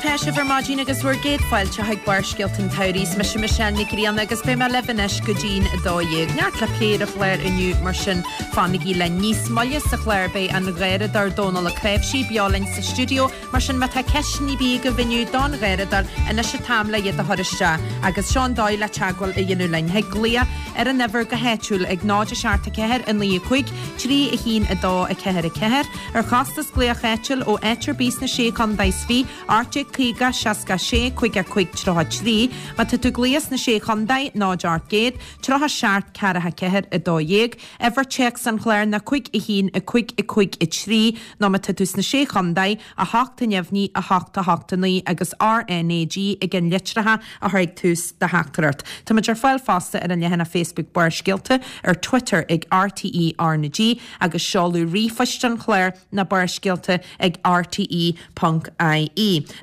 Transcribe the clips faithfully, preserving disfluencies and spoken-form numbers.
atá sibh ar maidin agus bhur gcéad fáilte chuig Barrscéalta an tSamhraidh. Is mise Michelle Nic Grianna agus beidh mé libh anois go dtí'n a dó dhéag. Neart le plé ar an chlár inniu mar sin fanaigí linn. Níos moille sa chlár beidh an Garradóir Dónal Ó Cnáimhsí beo linn sa stiúideo mar sin má tá ceisteanna ar bith agaibh inniu don Gharradóir anois an t-am le iad a chur isteach agus seo an dóigh le teagmháil a dhéanamh linn. Thig glaoch ar an uimhir go háitiúil ag náid a seacht a ceathair a naoi a cúig trí a haon a dó a ceathair a ceathair ar chostas glaoch áitiúil ó áit ar bith sna sé chontae is fiche ocht déag caoga seasca sé cúig a cúig tríocha trí má tá tú ag glaoch sna sé chontae náid ocht gcéad tríocha seacht ceathracha ceathair a dó dhéag uimhir téacs an chláir ná cúig a haon a cúig a cúig a trí nó má tá tú sna sé chontae a hocht a neamhní a hocht a hocht a naoi agus RNAG ag an litreacha a chur ag tús do theachtaireacht. Táimid ar fáil fosta ar an leathanach Facebook Barrscéalta ar Twitter ag RTE RnaG agus seoladh ríomhphoist an chláir ná barrscéalta ag RTE.ie.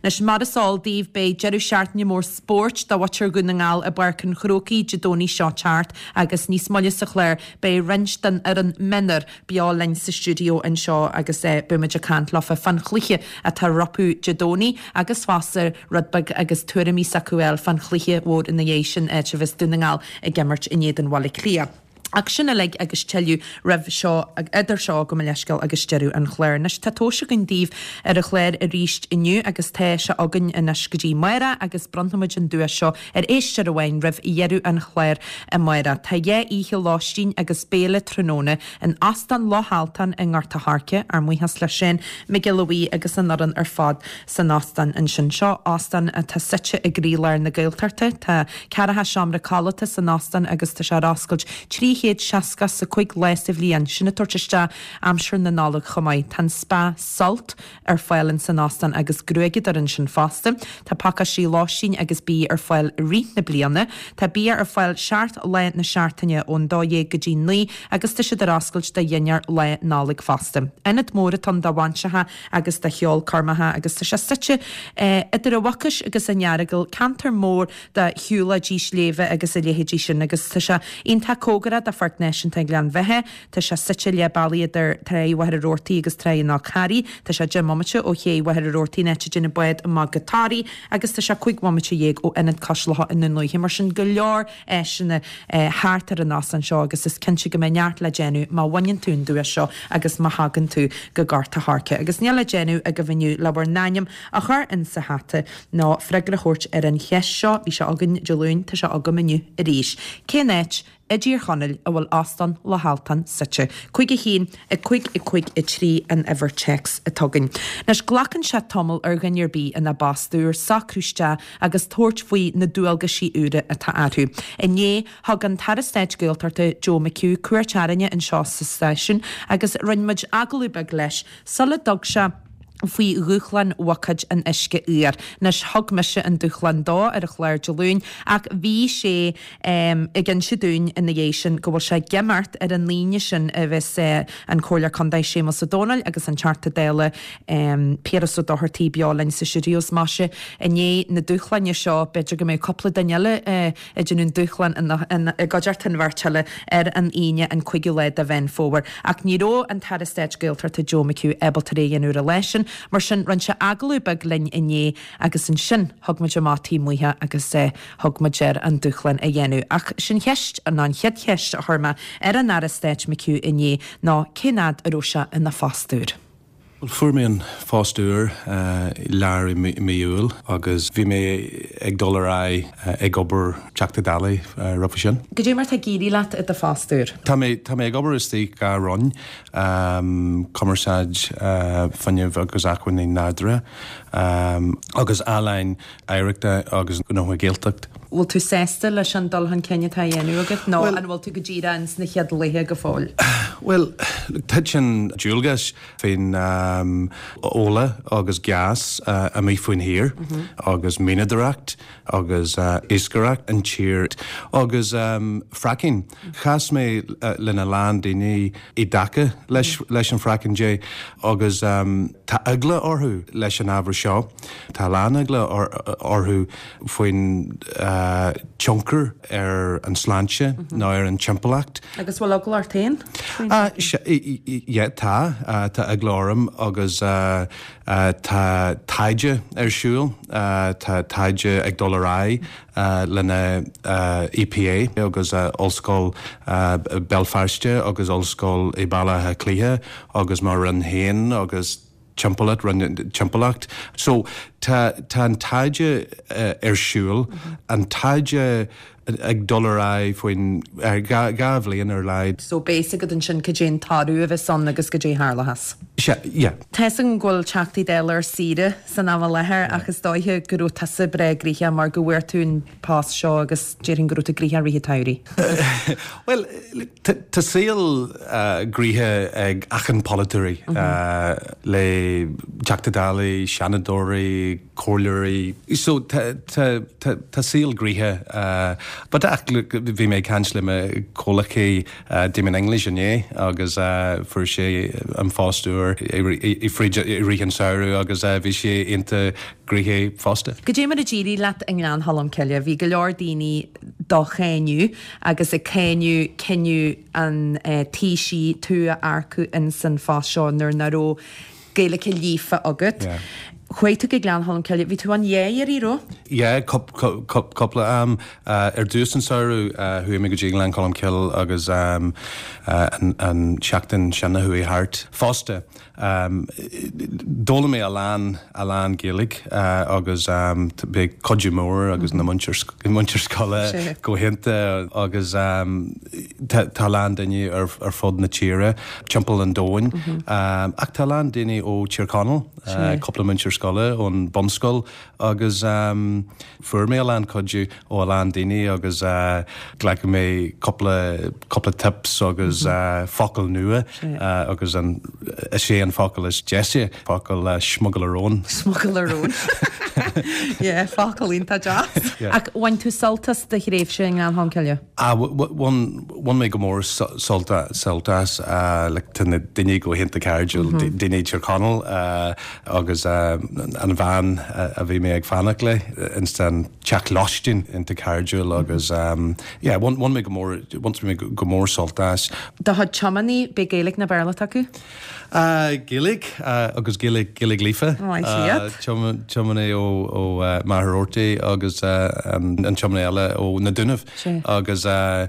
Anois mar is eol daoibh beidh deireadh seachtaine mór spóirt do mhuintir Dhún na nGall i bPáirc an Chrócaigh Dé Domhnaigh seo teacht agus níos moille sa chlár beidh roinnt den fhoireann mionúr beo linn sa stiúideo anseo agus eh, beimid ag caint leofa fán chluiche atá rompu Dé Domhnaigh agus fosta rud beag agus tuairimí s'acu fán chluiche mhór ina dhiaidh sin áit a bheas Dún na nGall ag imirt in éadan Bhaile Átha Cliath. Ach sin uilig agus tuilleadh roimh seo idir seo go leisceal agus deireadh an chláir. Anois tá tomhais againn daoibh ar an chlár arís inniu agus tá sé againn anois go dtí amárach agus bronnfaimid an duais seo ar éisteoir amháin roimh dheireadh an chláir amárach. Tá dhá oíche lóistín agus béile tráthnóna in Óstán Loch Altan i nGort an Choirce ár mbuíochas le sin Miguel Louis agus an fhoireann ar fad san óstán ansin seo óstán atá suite i gcroílár na Gaeltachta tá ceathracha seomra codlata san óstán agus tá sé ar oscailt trí chéad seasca a cúig lá sa bhliain sin ag tabhairt isteach aimsir na Nollag chomh maith. Tá spa Sult ar fáil in san óstán agus gruaigeadóir ansin fosta. Tá pacáistí lóistín agus bia ar fáil rith na bliana. Tá bia ar fáil seacht lá na seachtaine ón dó dhéag go dtí naoi agus tá siad ar oscailt do dhinnéar Lá Nollag fosta. Ionad mór atá ann do bhainseacha agus do cheolchoirmeacha agus tá sé suite eh, idir an Mhucais agus an Earagail ceantar mór de shiúlóidí sléibhe agus a leithéidí sin agus tá sé iontach cóngarach do Pháirc Náisiúnta Ghleann Bheatha, Tá sé suite leath bealaigh idir Trá Mhachaire Rabhartaigh agus Trá an Fhál Carraigh, Tá sé deich mbomaite ó ché Mhachaire Rabhartaigh an áit a dtéann an bád amach go Toraigh agus tá sé cúig bhomaite dhéag ó Ionad Cois Locha i nDún Lúiche mar sin go leor áiseanna eh, thart ar an óstán seo agus is cinnte go mbeidh neart le déanamh má bhaineann tú an duais seo agus má thagann tú go Gort an Choirce. Agus níl le déanamh agaibh inniu le bhur n-ainm a chur in sa hata ná freagra a thabhairt ar an cheist seo bhí sé againn Dé Luain tá sé agam inniu arís. Cén áit i dTír Chonaill a bhfuil Óstán Loch Altan suite. Cúig a haon a cúig a cúig a trí an uimhir téacs atá againn. Anois glacann sé tamall ar dhuine ar bith ina bpost úr socrú isteach agus tabhairt faoi na dualgaisí úra atá orthu. Inné thug an tAire Stáit Gaeltachta Joe McHugh cuairt orainne anseo sa stáisiún agus rinne muid agallamh beag leis sula dtug sé faoi dhúshlán bhuicéid an uisce fhuair. Anois thug mise an dúshlán dó ar an chlár Dé Luain ach bhí sé um, ag inse dúinn ina dhiaidh sin go bhfuil sé ag imeacht ar an Aoine sin a bheas uh, an Comhairleoir Contae Séamus Ó Domhnaill agus an Teachta Dála um, Piaras Ó Dochartaigh beo linn sa stiúideo maise inné na dúshláin seo b'fhéidir go mbeidh cúpla duine eile uh, ag déanamh an dúshlán i gcuideachta an bheirt eile ar an Aoine an cúigiú lá de Mheán Fómhair. Ach ní raibh an tAire Stáit Gaeltachta Joe McHugh ábalta é a dhéanamh ar an lá sin, mar sin rinne sé agallamh beag linn inné agus ansin thug muid amach taobh amuigh agus eh, thug muid air an dúshlán a dhéanamh. Ach sin cheist an an chéad cheist a chuir mé ar an Aire Stáit McHugh inné ná cén fhad a raibh sé ina phost úr. Fuair mé an post úr lár i mí Iúil agus bhí mé ag dul ar aghaidh ag obair Teachta Dála roimhe sin. Cad é mar tá ag éirí leat i do phost úr. Tá mé tá mé ag obair istigh dhá roinn um, cumarsáid uh, fuinneamh agus acmhainní nádúrtha um, agus ealaín oidhreachta agus gnóthaí Gaeltacht. Bhfuil tú sásta leis an dul chun cinn atá á dhéanamh agat nó an bhfuil tú go díreach sna chéad laetha go fóill. Well, titeann dualgas faoin um, ola agus gas uh, amuigh faoin thír mm -hmm. agus mianadóireacht agus uh, iascaireacht an tír agus um, fracking. Chas mé uh, lena lán daoine i dtaca leis, mm -hmm. leis an fracking de agus um, tá eagla orthu leis an ábhar seo. Tá lán eagla orthu faoin uh, tionchar ar an sláinte nó ar an timpeallacht. Agus bhfuil eagla ort féin? Yeah, tá tá eagla orm agus tá taighde ar siúl, tá taighde ag dul ar aghaidh lena E P A agus Ollscoil Béal Feirste agus Ollscoil i Baile Átha Cliath agus mo Roinn féin agus timpeallacht timpeallacht. So tá tá an taighde uh, ar siúl, mm -hmm. an taighde ag dul ar aghaidh faoin dhá bhliain ar leid. So basic ansin cad é an toradh a bheas ann agus cad é tharlós. Yeah. Tá an bhfuil Teachtaí Dála ar saoire san am i láthair ach is dóiche go raibh tusa breá gnoitheach mar go bhfuair tú an post seo agus déarfainn go raibh tú gnoitheach i rith an tsamhraidh. Well, tá saol gnoitheach ag achan polaiteoirí le Teachtaí Dála, Seanadóirí, comhairleoirí. So tá saol gnoitheach. But ach bhí mé caint le mo chomhghleacaí Damien English inné agus fuair sé an post úr i rith an samhradh agus bhí sé iontach gnoitheach fosta. Cad é mar a d'éirigh leat i nGleann Cholm Cille, bhí go leor daoine do cháineadh agus ag cáineadh cinneadh an Taoisigh tú a earcú in san phost seo nuair nach raibh Gaeilge líofa agat. Yeah. Chuaigh tú go Gleann Cholm Cille, bhí tú ann dhá iarraidh, raibh? Yeah, cúpla am ar dtús an samhradh chuaigh mé go dtí Gleann Cholm Cille agus um, uh, an, an seachtain sin a chuaigh thart fosta. Um, D'fhoghlaim mé a lán a lán Gaeilge uh, agus um, bhí cuidiú mór agus na múinteoirí scoile go hiontach agus um, tá lán daoine ar, ar fud na tíre timpeall an domhain. Mm -hmm. um, ach tá lán daoine ó Tír Chonaill, uh, cúpla múinteoir scoile ón bunscoil agus um, fuair mé a lán cuidiú ó a lán daoine agus uh, ghlac mé cúpla cúpla tips agus mm -hmm. uh, focal nua uh, agus an is sé an focal is deise focal uh, smugairle róin. Smugairle róin. Yeah, focal iontach deas. Ach bhain tú sult as do thréimhse i nGleann Cholm Cille? Ah, bhain mé go mór sult sult as le tá na daoine go hiontach cairdiúil daoine Tír Chonaill agus an bhean a bhí mé ag fanacht le ins an teach lóistín iontach cairdiúil agus yeah, bhain mé go mór bhain mé go mór sult as. Do chuid tiománaí b'é Gaeilge nó Béarla acu? Uh, Gaeilge uh, agus Gaeilge Gaeilge líofa Tiománaí ó ó uh, Machaire Rabhartaigh agus uh, an, an tiománaí eile ó na Dúnaibh agus uh,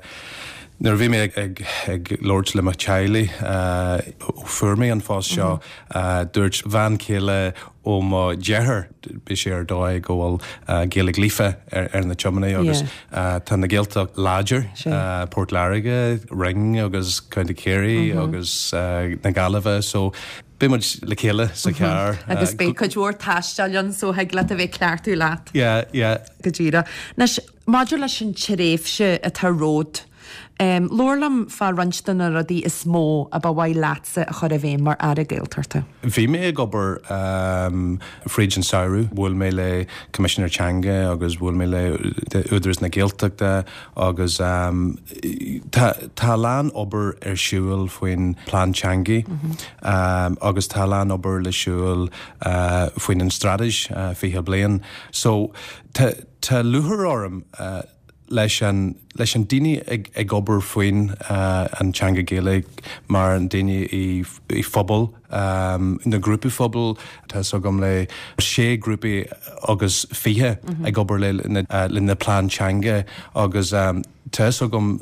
Nuair bhí mé ag, ag, ag labhairt le mo theaghlach uh, ó fuair mé an phost seo mm -hmm. uh, dúirt bhean chéile ó mo dheartháir bhí sé ar dóigh go bhfuil uh, Gaeilge líofa ar, ar na tiománaí agus yeah. uh, tá na Gaeltacht láidir uh, Port Láirge, Ring agus County Kerry mm -hmm. agus uh, na Gaillimhe so Beidh muid le chéile sa charr. Agus beidh cuid mhór taistil ann so thig leat a bheith ceartú leat. Yeah, yeah. Go díreach. Anois maidir leis an tréimhse atá romhat. Um, Labhair liom fá roinnt de na rudaí is mó a ba mhaith leatsa a chur i bhfeidhm mar Aire Gaeltachta. Bhí mé ag obair um, fríd an samhradh, bhuail mé le Coimisinéir Teanga agus bhuail mé le Údarás na Gaeltachta agus um, tá tá lán obair ar siúl faoin plean teanga mm -hmm. um, agus tá lán obair le siúl uh, faoin an straitéis uh, fiche bliain. So tá tá lúcháir orm uh, leis an leis an daoine ag, ag obair faoin uh, an teanga Gaeilge mar an daoine i, i phobal um, na grúpaí phobail tá agam le sé grúpaí agus fiche mm -hmm. ag obair le, le, uh, le na plean teanga agus um, tá agam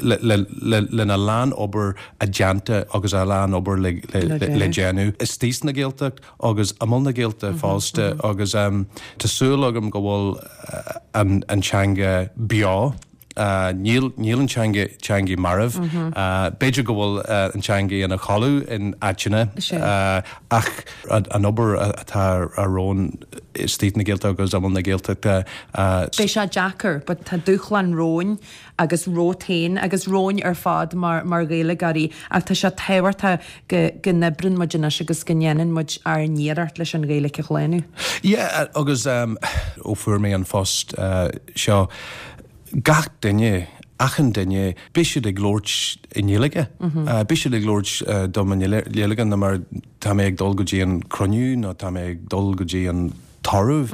le, le, le, lena lán obair a déanta agus a lán obair le, le, le, le déanamh. Istigh na Gaeltacht agus amuigh na Gaeltacht mm -hmm, fosta mm -hmm. agus um, tá súil agam go bhfuil uh, an, an teanga beo Uh, níl níl an teanga teanga marbh mm -hmm. uh, B'fhéidir go bhfuil uh, an teanga ina chodladh in áiteanna uh, ach an obair atá romhainn istigh na Gaeltacht agus amuigh na Gaeltachta. Beidh sé deacair, but tá dúshlán romhainn agus romhat féin agus romhainn ar fad mar mar Ghaeilgeoirí ach tá sé tábhachtach go go n-oibríonn muid anois agus go ndéanann muid ár n-iarracht leis an Ghaeilge a shlánú. Yeah, agus um, ó fuair mé an phost uh, seo gach duine achan duine bíonn siad ag labhairt i nGaeilge. Mm -hmm. uh, Bíonn siad ag labhairt uh, dom i nGaeilge na mar tá mé ag dul go dtí an cruinniú nó tá mé ag dul go dtí an tórramh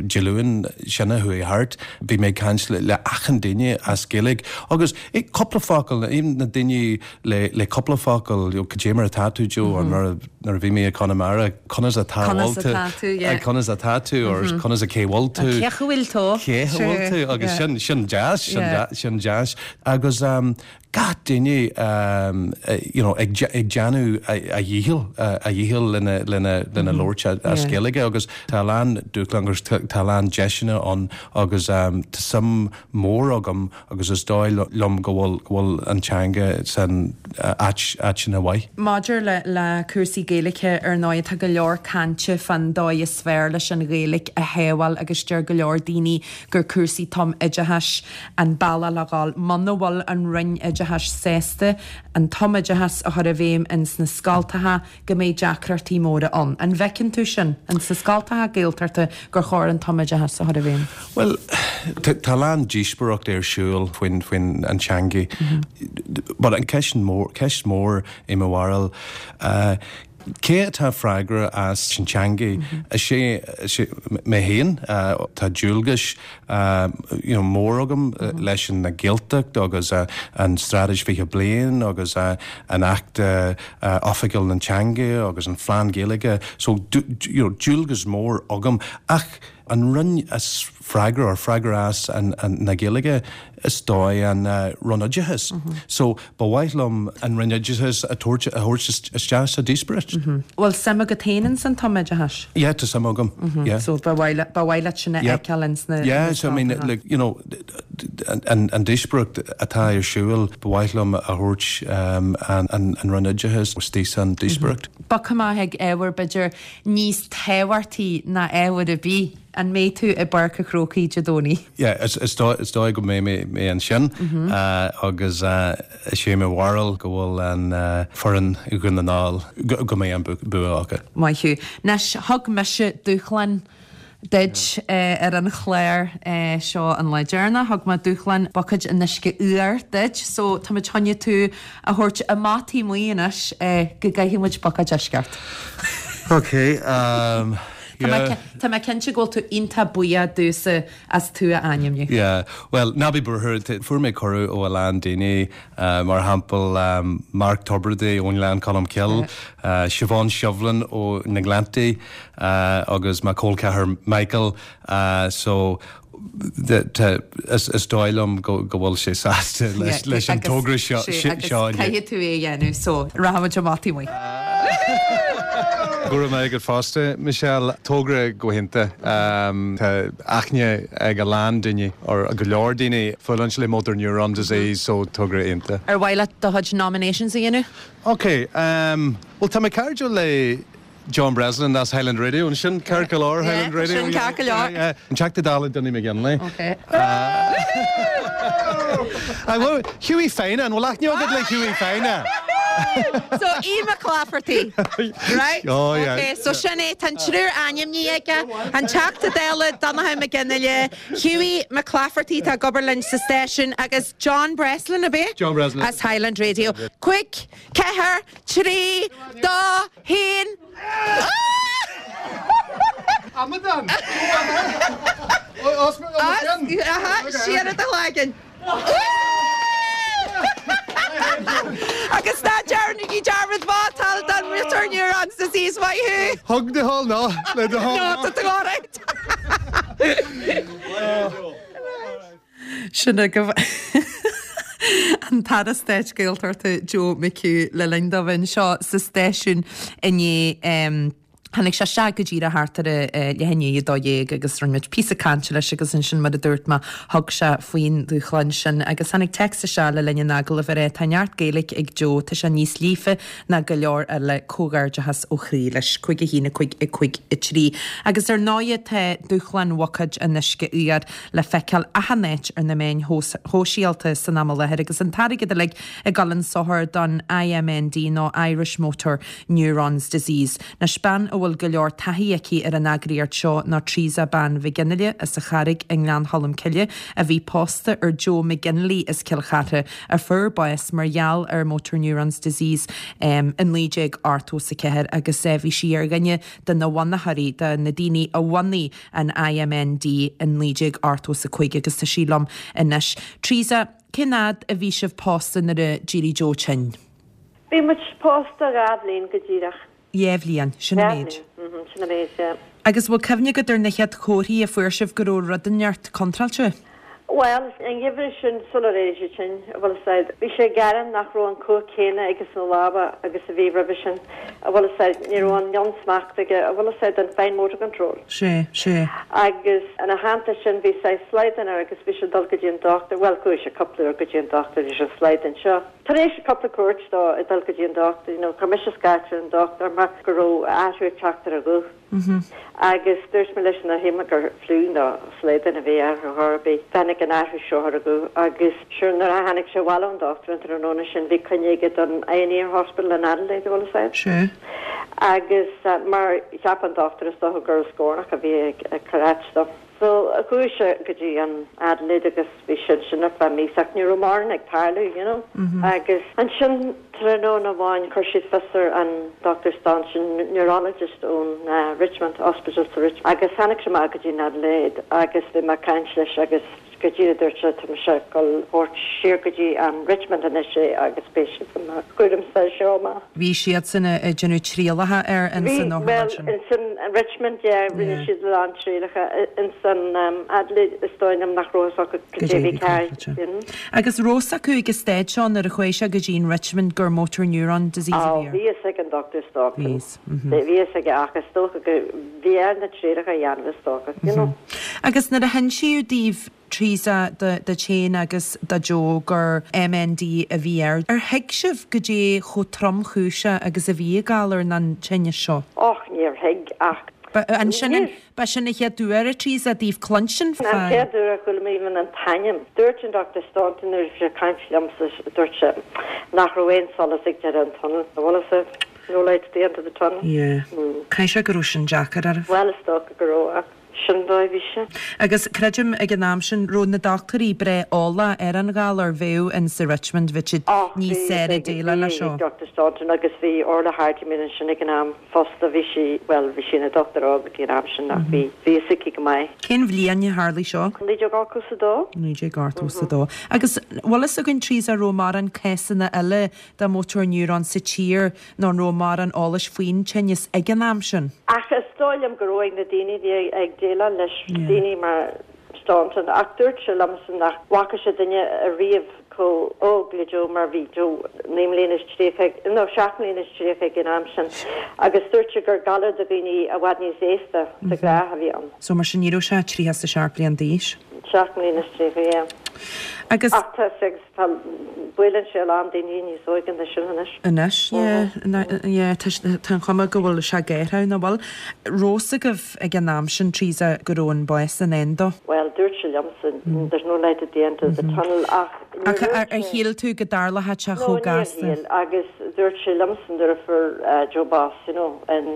Dé Luain sin a chuaigh thart, bhí mé ag caint le achan duine as Gaeilge agus cúpla focal, even na daoine le le cúpla focal, you know, cad é mar atá tú Joe or nuair a bhí mé i Conamara, conas atá Conas atá tú, yeah. conas atá tú or conas a cé bhfuil tú. Cé bhfuil tú? Cé bhfuil tú agus sin sin deas sin sin deas agus um, gach duine um, you know, ag, ag déanamh a dhícheall a dhícheall lena lena lena labhairt as Gaeilge agus tá lán dúshlán agus tá lán deiseanna ann agus um, tá suim mór agam agus is dóigh liom go bhfuil go bhfuil an teanga san áit áit ina mhaith. Maidir le le cúrsaí Gaeilge ar ndóigh tá go leor cainte fán dóigh is fearr leis an Ghaeilge a shábháil agus deir go leor daoine gur cúrsaí tumoideachais an bealach le dhul muna bhfuil an Roinn Oideachais sásta an tumoideachas a chur i bhfeidhm in sna scoltacha go mbeidh deacrachtaí móra ann. An bhfeiceann tú sin in sa scoltacha Gaeltachta gur chóir an tumoideachas a chur i bhfeidhm? Well, tá lán díospóireacht ar siúl faoin faoin an teanga. But an ceist mór ceist mór i mo bharúil uh, Cé atá freagrach as an teanga is sé mé féin tá dualgas you know, mór agam leis an na Gaeltacht agus uh, an Straitéis fiche bliain agus uh, an Acht uh, Oifigiúil na Teanga agus an Phlean Gaeilge so you know, dualgas mór agam ach an Roinn is freagrach ar freagrach as an, an na Gaeilge is dóigh an uh, Roinn Oideachais. Mm -hmm. So ba mhaith liom an Roinn Oideachais a thabhairt a thabhairt isteach sa díospóireacht. Mm -hmm. Well suim agat féin san tumoideachas? Yeah, tá suim agam. Mm -hmm. yeah. So ba mhaith sin a fheiceáil sna Yeah, so I mean like, you know, an, an díospóireacht atá ar siúl ba mhaith liom a thabhairt um, an, an, an Roinn Oideachais istigh san díospóireacht. Mm -hmm. Ba cumá ag ábhar b'fhéidir níos tábhachtaí ná ábhar ar bith an mbeidh tú i bPáirc an Chrócaigh Dé Domhnaigh. Yeah, is, is, dóigh, is dóigh go mbeidh mé, mé ansin mm -hmm. uh, agus uh, is sé mo bharúil go bhfuil an uh, foireann Dhún na nGall go, go mbeidh an bua acu. Maith thú. Anois thug mise dúshlán duit uh, ar an chlár uh, seo an lá deireanach thug mé dúshlán buicéad an uisce fhuair duit, so tá muid chun tú a thabhairt amach taobh amuigh anois uh, go gcaithfidh muid buicéad uisce ort. Ok. Um, Yeah. Tá mé cinnte go bhfuil tú iontach buíoch domhsa as tú a ainmniú. Yeah, well, ná bí buartha fuair mé cuireadh ó a lán daoine uh, mar shampla um, Mark Tubridy ón Ghleann Cholm Cille, uh, Siobhán Shovlin ó na Gleanntaí uh, agus mo chol ceathar Michael uh, so is, is dóigh liom go, go bhfuil sé sásta leis, leis an togra seo seo Caithfidh tú é a dhéanamh so rachaimid amach taobh amuigh. Go raibh maith agat fosta Michelle togra go hiontach um, Tá aithne ag a lán daoine ar go leor daoine fulaingt le motor neuron disease so togra iontach. Ar mhaith leat do chuid nominations a dhéanamh? Ok, um, well tá mé cairdiúil le John Breslin as Highland Radio an sin ceart go leor Highland Radio sin ceart go leor. An Teachta Dála Donie McGinley. Okay. Uh, Hughie Feine an bhfuil aithne agat le Hughie Feine. So Ian McClafferty right? Oh, yeah. Okay, so sin é tá triúr ainmnithe aige an Teachta Dála Donnchadh McGinley Hughie McClafferty tá ag obair linn sa stáisiún agus John Breslin a b'é? John Breslin. As Highland Radio. Cúig, ceathair, trí, dó, haon. Amadán! Siar do chloigeann. Agus ná déanaigí dearmad vótáil don Motor Neurons Disease maith thú. Thug de hall ná le de No, tá tú alright. Sin go an tAire Stáit Gaeltachta Joe McHugh le linn dó bheith anseo sa stáisiún inné um, Tháinig sé isteach go díreach thart ar leath i ndiaidh a dó dhéag agus rinne muid píosa cainte leis agus ansin mar a dúirt mé thug sé faoin dúshlán sin agus tháinig téacs isteach le linn an agallaimh ar é tá neart Gaeilge ag Joe tá sé níos líofa ná go leor eile comhghairdeachas ó chroí leis cúig a haon a cúig a cúig a trí. Agus ar ndóigh tá dúshlán bhuicéad an uisce fhuair le feiceáil achan áit ar na meáin shóisialta san am i láthair agus an t-airgead uilig ag dul chun sochair don IMND nó Irish Motor Neurons Disease. Anois bean a bhfuil bhfuil go leor taithí aici ar an eagraíocht seo ná Teresa Bean Mhic Fhionnghaile as an Charraig i nGleann Cholm Cille a bhí pósta ar Joe McGinley as Cill Chartha a fuair bás mar gheall ar motor neurons disease um, i naoi déag ochtó is a ceathair agus eh, bhí sí ar dhuine de na bunaitheoirí de na daoine a bhunaigh an IMND in naoi déag ochtó is a cúig agus tá sí liom anois. Teresa, cén fhad a bhí sibh pósta nuair a d'éirigh Joe tinn? Bhí muid pósta dhá bhliain go díreach. Dhá bhliain, sin an méid. Sin an méid, yeah. Agus bhfuil cuimhne agat ar na chéad chomharthaí a fuair sibh go raibh rud inteacht contráilte? Well, an geimhreadh sin sular éirigh sé tinn, bhfuil fhios a'd, bhí sé ag gearán nach raibh an cumhacht céanna aige sna lámha agus a bhí roimhe sin, a bhfuil fhios a'd, ní raibh an mionsmacht aige, a bhfuil fhios a'd, an fine motor control. Sé, sé. Agus ina theannta sin bhí saghas slaghdán air agus bhí sé ag dul go dtí an dochtúir, bhuel chuaigh sé cúpla uair go dtí an dochtúir leis an slaghdán seo. Tar éis cúpla cuairt dó ag dul go dtí an dochtúir, you know, chuir mise scairt ar an dochtúir mar go raibh athrú ag teacht ar a ghuth. Agus dúirt mé leis na shíl mé gur fliú nó slaghdán a bhí air ar chor ar bith. Tháinig an athrú seo ar a ghuth agus sure nuair a tháinig sé abhaile ón dochtúir an tráthnóna sin bhí coinne aige don Eye and Ear Hospital in Adelaide, bhfuil fhios a'd. Sé. Agus mar cheap an dochtúir is dócha gur scornach a bhí ag ag cur as dó. So chuaigh sé go dtí an Adelaide agus bhí sin sin ar feadh míosa ach ní raibh mórán ag tarlú, you know. Agus ansin tráthnóna amháin chuir siad fios ar an Dr Staunton, neurologist ón Richmond Hospital sa Richmond. Agus tháinig sé amach go dtí an Adelaide agus bhí mé ag caint leis agus go díreach dúirt sé tá mise ag dul a thabhairt siar go dtí an Richmond anois é agus beidh siad i mo chúram as seo amach. Bhí siadsan ag déanamh trialacha air in Bhí san well otharlann sin. in san Richmond yeah, rinne Yeah. siad a lán trialacha in san um, Adelaide is dóigh liom nach raibh acu Go go dtí dtí bhí bhí ceart. ceart. you know. Agus raibh fhios acu ag an staid seo nuair a chuaigh sé go dtí an Richmond gur motor neuron disease a Á bhí air. bhí fhios ag an Dr Staunton. Bhí fhios, mhm. Bhí fhios aige ach is dócha go bhí air na trialacha a dhéanamh is dócha, you know. Agus nuair a hinsíodh daoibh Teresa do do féin agus do Joe gur MND a bhí air. Ar thuig sibh go dté chomh tromchúiseach agus a bhí an galar nó an tinneas seo. Och níor thuig ach Ba an sin Níor. ba sin an chéad uair a Teresa daoibh cluinstin An chéad uair a chuala mé even an t-ainm. Dúirt an Dr Staunton nuair a bhí sé ag caint liomsa dúirt sé nach raibh aon solas ag deireadh an tunnel. Bhfuil fhios a'd no light at the end of the tunnel. Yeah. Caithfidh sé go raibh sin deacair oraibh. Well is dócha go raibh ach sin dóigh bhí sé. Agus creidim ag an am sin raibh na dochtúirí breá eolach ar an ghalar bheadh in sa Richmond bhí siad níos saoire déileáil leis seo. Dr Staunton agus bhí Orla Hardiman ansin ag an am fosta bhí sí well bhí sí ina dochtúir óg ag an am sin ach bhí bhí sí go maith. Cén bhliain a tharla seo? Naoi déag ochtó a dó? Naoi déag ochtó a dó. Agus bhfuil fhios againn Teresa raibh mórán cásanna eile de motor neuron sa tír nó raibh mórán eolais faoin tinneas ag an am sin. Ach is dóigh liom go raibh na daoine bhí ag déileáil leis Yeah. daoine mar Staunton ach dúirt sé liomsa nach bhfaca sé duine ariamh chomh óg le Joe mar bhí Joe naoi mbliana is tríocha nó seacht mbliana is tríocha ag an am sin agus dúirt sé gur galar do dhaoine i bhfad níos aosta de ghnáth a bhí ann. So mar sin ní raibh sé tríocha a seacht bliain d'aois. Seacht mbliana is tríocha yeah. Agus Ach tá agus tá buaileann sé a lán daoine níos óige ná sin anois. Anois tá an chuma go bhfuil sé géartha na bhfuil. Raibh fhios agaibh ag an am sin Teresa go raibh an bás i ndán dó. Well dúirt sé liomsa there's no light at the end of the tunnel ach Ach ar ar shíl tú go dtarlódh sé chomh gasta. agus dúirt sé liomsa nuair a fuair Joe bás you know in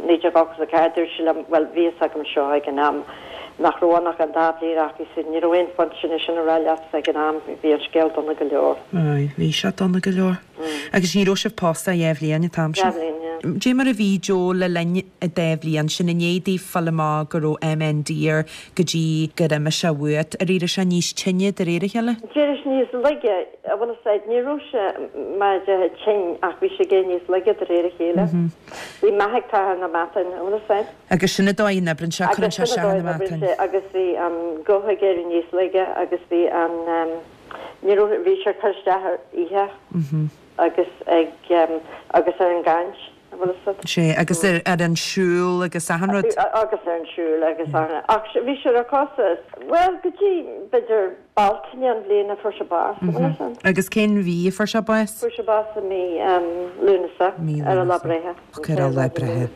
naoi déag ochtó a ceathair dúirt sé liom well bhí fhios agam seo ag an am nach raibh ach an dá bhliain ach ní raibh aon phoint sin sin a rá leat ag an am bhí an scéal dona go leor. Ai, bhí sé dona go leor. Agus ní raibh sibh pósta dhá bhliain an t-am sin. Dhá bhliain, yeah. Dé mar a bhí Joe le linn an dá bhliain sin i ndiaidh daoibh fáil amach go raibh MND air go dtí gur imigh sé uait ar éirigh sé níos tinne de réir a chéile? D'éirigh níos laige a bhfuil fhios a'd ní raibh sé mar de tinn ach bhí sé gé níos laige de réir a chéile. Bhí meath ag na meatáin a bhfuil fhios a'd. Agus sin an dóigh a n-oibríonn sé cuireann sé Agus se sin na an dóigh a meatáin. sé agus bhí an guth ag éirí níos laige agus bhí an um, ní raibh bhí sé cur isteach ar ithe agus ag um, agus ar an gcaint a bhfuil fhios a'd. Sé agus ar ar an siúl agus achan rud. agus ar an siúl agus ar ach bhí sé ar cosa well go dtí b'fhéidir Bealtaine an bhliain a fuair sé bás a bhfuil fhios a'd. Agus cén mhí a fuair sé bás? Fuair sé bás i mí um, Lúnasa Mí ar a Lúnasa. lá breithe. Ar a lá breithe.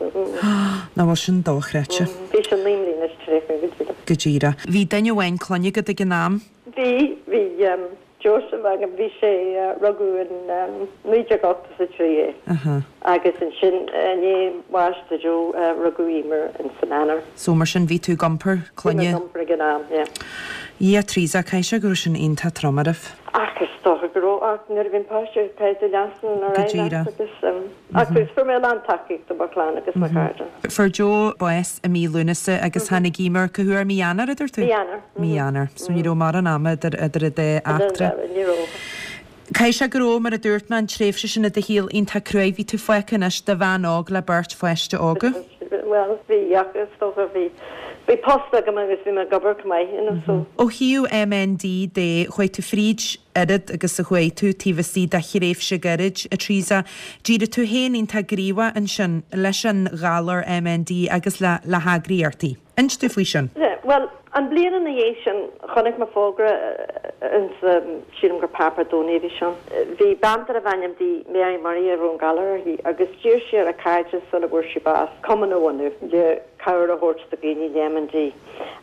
Ná bhfuil sin dochreidte Bhí sé naoi mbliana is tríocha go dtí. go díreach. Bhí duine amháin clainne agat ag an am? Bhí bhí um, Joseph agam bhí sé rugadh in naoi déag ochtó is a trí é. Agus ansin i ndiaidh bháis do Joe rugadh Emer in san Eanáir. So mar sin bhí tú ag iompar clainne? Bhí mé ag iompar ag an am, yeah. Yeah Teresa, caithfidh sé go raibh sin iontach trom oraibh. Ach is dócha go raibh, ach nuair a bhíonn páiste agat caithfidh tú leanstan ar Go aghaidh leat díreach. agus ach fuair mé a lán tacaíocht ó mo chlann agus mo chairde. Fuair Joe bás i mí Lúnasa agus tháinig Emer cá huair mí Eanáir a dúirt tú? Mí Eanáir. Mí Eanáir. So ní raibh mórán ama idir idir an dá eachtra. Ní raibh. Caithfidh sé go raibh, mar a dúirt mé, an tréimhse sin i do shaol iontach cruaidh. Bhí tú fágtha anois de bhean óg le beirt pháiste óga. Bhuel, bhí, ach is dócha bhí, bhí post agam agus bhí mé ag obair chomh maith, you know, so. Ó thaobh MND de, chuaigh tú fríd oiread agus a chuaigh tú taobh istigh de thréimhse gairid, a Teresa. D'éirigh tú féin iontach gníomhach ansin leis an ghalar MND agus le le heagraíochtaí. Inis dúinn faoi sin. Yeah, bhuel, an bliain ina dhiaidh sin, chonaic mé fógra ins, sílim gur páipéar Domhnaigh a bhí ann. Bhí bean darbh ainm di Mary Murray a raibh an galar uirthi agus d'iarr sí ar a cairde sula bhfuair sí bás cumann a bhunú le cabhair a thabhairt do dhaoine le MND.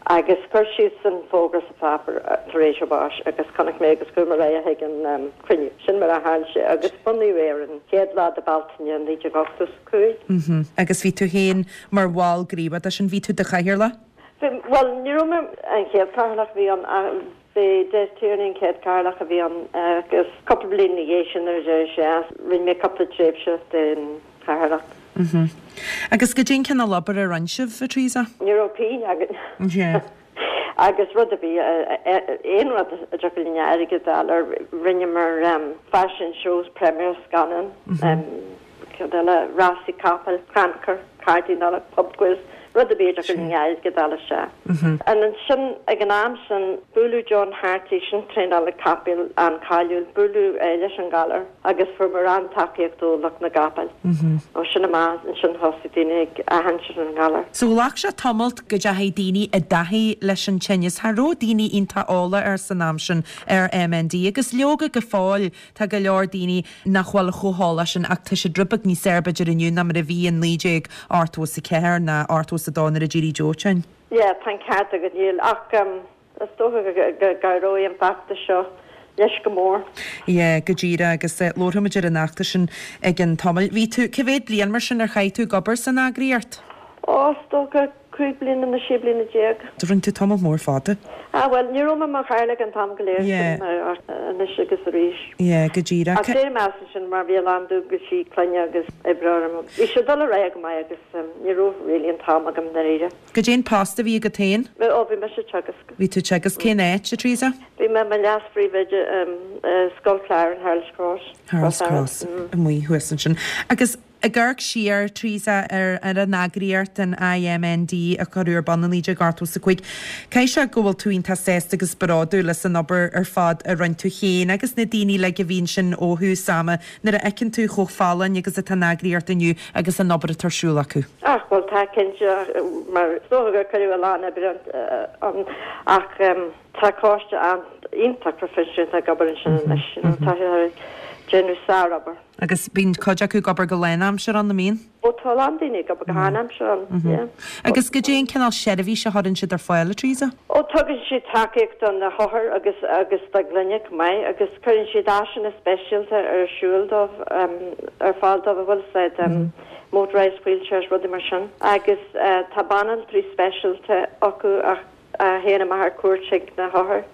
Agus chuir sí an fógra sa pháipéar tar éis a báis agus chonaic mé agus chuaigh mé ar aghaidh chuig an cruinniú. Sin mar a tharla sé agus bunaíodh é ar an chéad lá de Bealtaine naoi déag ochtó is a cúig. Agus bhí tú féin mar bhall gníomhach de sin, bhí tú i do chathaoirleach? Bhí, bhuel, ní raibh mé an chéad chathaoirleach a bhí ann, b'é Des Tierney an chéad chathaoirleach a bhí ann agus cúpla bliain ina dhiaidh sin nuair a d'éirigh sé as, rinne mé cúpla tréimhse den chathaoirleacht. Mhm. Agus goidé an cineál obair a rinne sibh, a Teresa? Ní raibh pingin againn. Yeah. Agus rud ar bith, aon rud a dtiocfadh linn airgead a fháil air, rinneamar fashion shows, premiere scannán, cad eile, rásaí capaill, crannchur, cártaí Nollag, pub quiz, rud ar bith a dtiocfadh linn airgead a fháil isteach. And ansin, ag an am sin, buaileadh John Hartley, sin traenálaí capaill an-cháiliúil, buaileadh é leis an ghalar agus fuaireamar an-tacaíocht ó lucht na gcapall. Ó sin amach, ansin thosaigh daoine ag aithint ar an ghalar. So ghlac sé tamalt go dteachaigh daoine i dtaithí leis an tinneas. Cha raibh daoine iontach eolach air san am sin ar MND agus leoga go fóill tá go leor daoine nach bhfuil chomh heolach sin ach tá siad rud beag níos fearr b'fhéidir inniu ná mar a bhí in naoi déag ochtó is a ceathair ná ochtó is a dó nuair a d'éirigh Joe tinn. Yeah, tá an ceart agat, níl ach is dócha go gcabhróidh an feachtas seo leis go mór. Yeah, go díreach agus labharfaimid ar an fheachtas sin ag an tamall. Bhí tú, cá mhéad bliain mar sin ar chaith tú ag obair san eagraíocht? Ó, is dócha cúig bliana nó sé bliana déag. Rinne tú tamall mór fada. Ah, bhuel, ní raibh mé mar chathaoirleach an t-am go léir Yeah. sin ach anois agus arís. Yeah, go díreach. Ach d'éirigh mé as ansin mar bhí a lán dualgaisí clainne agus oibre orm. Bhí sé ag dul ar aghaidh go maith agus ní raibh really an t-am agam dáiríre. Goidé an post a bhí agat féin? Bhí, ó, bhí mise ag teagasc. Bhí tú ag teagasc cén áit, a Teresa? Bhí mé i mo leas-phríomhoide i Scoil Chláir in Harold's Cross. Harold's Cross, amuigh thuas ansin. Agus ag amharc siar, Teresa, ar ar an eagraíocht, an IMND, a cuireadh ar bun i naoi déag ochtó is a cúig, caithfidh sé go bhfuil tú iontach sásta agus bródúil as an obair ar fad a rinne tú féin agus na daoine uilig a bhí ansin ó thús ama nuair a fheiceann tú chomh folláin agus atá an eagraíocht inniu agus an obair atá ar siúl acu. Ach, bhuel, tá cinnte, mar is dócha gur cuireadh a lán oibre ann ach tá coiste an-iontach proifisiúnta ag obair ansin anois, you know, tá siad ag déanamh sárobair. Agus bíonn cuid acu ag obair go lánaimseartha ann, an mbíonn? Ó tá a lán daoine ag obair go hánaimseartha ann, yeah. Agus goidé an cineál seirbhís a chuireann siad ar fáil, a Teresa? Ó tugann siad tacaíocht do na hothair agus agus dá gclainne chomh maith agus cuireann siad áiseanna speisialta ar siúl dóibh, ar fáil dóibh, bhfuil a fhios agat, motorised wheelchairs, rudaí mar sin. Agus tá banaltraí speisialta acu a théann amach ar cuairt chuig na hothair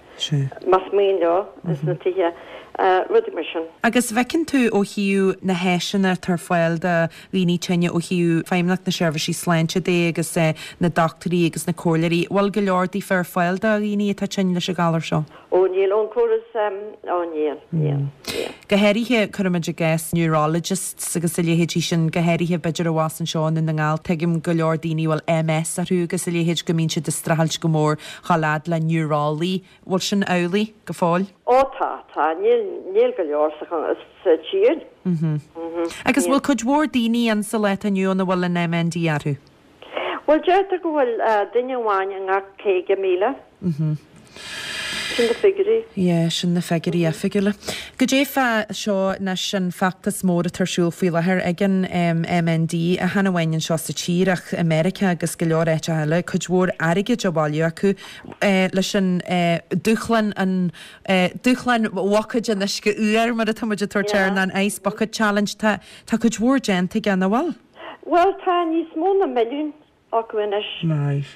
más mian leo ins na tithe. Rudaí mar sin. Agus bhfeiceann tú ó thaobh na háiseanna atá ar fáil do dhaoine tinne ó thaobh Feidhmeannacht na Seirbhísí Sláinte de agus na dochtúirí agus na comhairleoirí, bhfuil go leor daofa ar fáil do dhaoine atá tinn leis an ghalar seo? Ó níl, ón córas, ó níl, níl, níl. Go háirithe, cuirimid i gcás neurologists agus a leithéidí sin, go háirithe b'fhéidir abhus anseo i nDún na nGall, tuigim go leor daoine a bhfuil MS orthu agus a leithéid go mbíonn siad ag streachailt go mór chomh fada le neurolaí. Bhfuil sin amhlaidh go fóill? Ó tá, tá, níl, níl go leor sa, sa tír. Mhm. Agus bhfuil cuid mhór daoine ann sa lá atá inniu ann a bhfuil an MND orthu? Bhuel, deirtear go bhfuil duine amháin i ngach caoga míle. Mhm. Sin na figiúirí. Yeah, sin na figiúirí oifigiúla. Goidé fá seo anois an feachtas mór atá ar siúl faoi láthair ag an MND, chan amháin anseo sa tír ach i Meiriceá agus go leor áiteacha eile, cuid mhór airgid á bhailiú acu leis an dúshlán an dúshlán bhuicéid an uisce fhuair mar atá muid ag tabhairt air, an Ice Bucket Challenge. Tá tá cuid mhór déanta aige, nach bhfuil? Bhuel, tá níos mó ná milliún acu anois. Maith.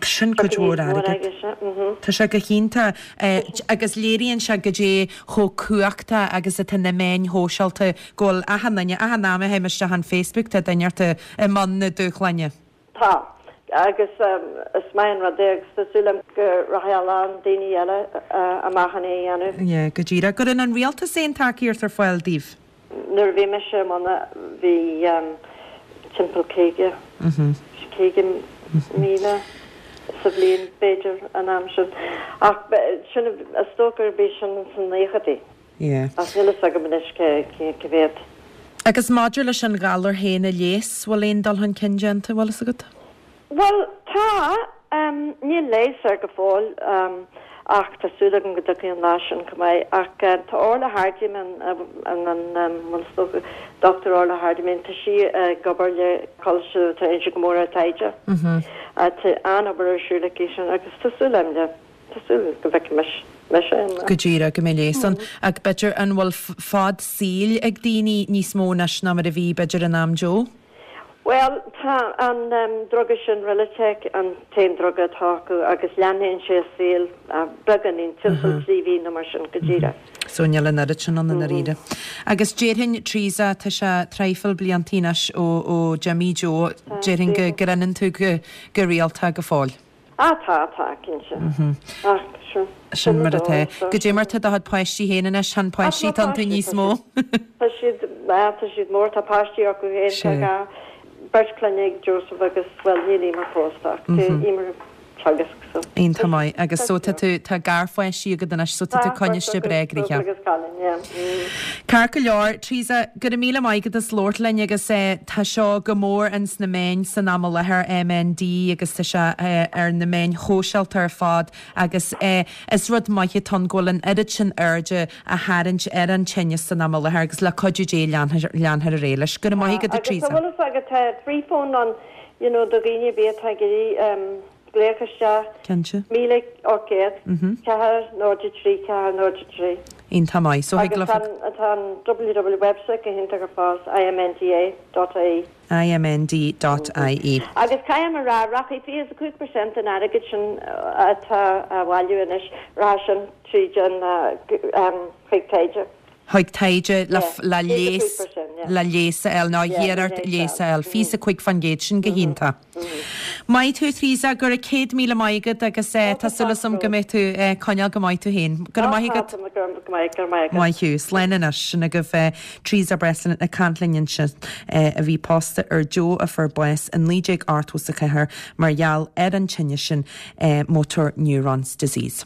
Sin cuid mhór airgid. Tá sé go hiontach agus léiríonn sé goidé chomh cumhachtach agus atá na meáin shóisialta go bhfuil achan duine, achan am a théim isteach an Facebook tá duine ort i mbun na dúshláine. Tá. Agus is maith an rud é agus tá súil agam go rachaidh a lán daoine eile amach chun é a dhéanamh. Yeah, go díreach. Cuireann an rialtas aon tacaíocht ar fáil daoibh? Nuair a bhí mise i mbun bhí timpeall caoga, caoga míle sa bhliain b'fhéidir an am sin. Ach sin is dócha gurb é sin sna naochadaí. Yeah. Ach níl a fhios agam anois cé cé mhéad. Agus maidir leis an ghalar féin a leigheas, bhfuil aon dul chun cinn déanta, bhfuil fhios agat? Bhuel, tá. Níl leigheas air go fóill ach tá súil agam go dtiocfaidh an lá sin chomh maith. Ach tá Orla Hardiman, an bhfuil is dócha, Dochtúir Orla Hardiman, tá sí ag obair le Coláiste atá Inse go mór ar taighde. Tá an-obair ar siúl aici sin agus tá súil agam le, tá súil go bhfeicfidh mise an lá. Go díreach, go mbeidh leigheas ann. Ach b'fhéidir an bhfuil fad saoil ag daoine níos mó anois ná mar a bhí b'fhéidir in am Joe? Bhuel, tá an druga sin, Rilutek, an t-aon druga atá acu agus leathnaíonn sé a saol beagáinín, timpeall trí mhí nó mar sin, go díreach. So níl an oiread sin ann i ndáiríre. Agus déarfainn, Teresa, tá sé traidhfil bliantaí anois ó ó d'imigh Joe, déarfainn go grinneann tú go go rialta go fóill. Ah tá, tá, cinnte. Ach sure. Sin mar atá. Goidé mar tá do chuid páistí féin anois, tá na páistí tá iontu níos mó. Tá siad, ah tá siad mór, tá páistí acu féin, tá dhá, beirt clainne ag Joseph agus, bhuel níl Emer pósta ach tá Emer ag teagasc so. Iontach maith. Agus so tá tú, tá garpháistí agat anois so tá tú coinniste breá gnoitheach. Agus cailín, yeah. Ceart go leor, Teresa, go raibh míle maith agat as labhairt linn agus tá seo go mór ins na meáin san am i láthair, MND, agus tá sé ar na meáin shóisialta ar fad agus is rud maith atá ann go bhfuil an oiread sin airde á tharraingt ar an tinneas san am i láthair agus le cuidiú Dé leanfar ar aghaidh leis. Go raibh maith agat, a Agus Teresa. an bhfuil fhios agat tá freephone ann, you know, do dhaoine ar bith atá ag iarraidh glaoch isteach. Cinnte. Míle ocht gcéad, ceathair, náid a trí, ceathair, náid a trí. Iontach maith. So thig Agus leofa. tá tá an www website go hiontach ar fad, IMNDA dot ie. IMND dot ie. Agus caithfidh mé a rá, rachaidh fiche is a cúig percent den airgead sin atá á bhailiú anois, rachaidh sin tríd an chuig taighde. Chuig taighde le le leigheas le leigheas a fháil nó iarracht leigheas a fháil. Fiche is a cúig faoin gcéad, sin go hiontach. Maith thú Teresa, go raibh céad míle maith agat agus tá súil agam go mbeidh tú ag coinneáil go maith tú féin. Go raibh maith agat. Maith thú. Slán anois. Sin agaibh Teresa Breslin ag caint linn ansin a bhí pósta ar Joe a fuair bás i naoi déag ochtó is a ceathair mar gheall ar an tinneas sin Motor Neurons Disease.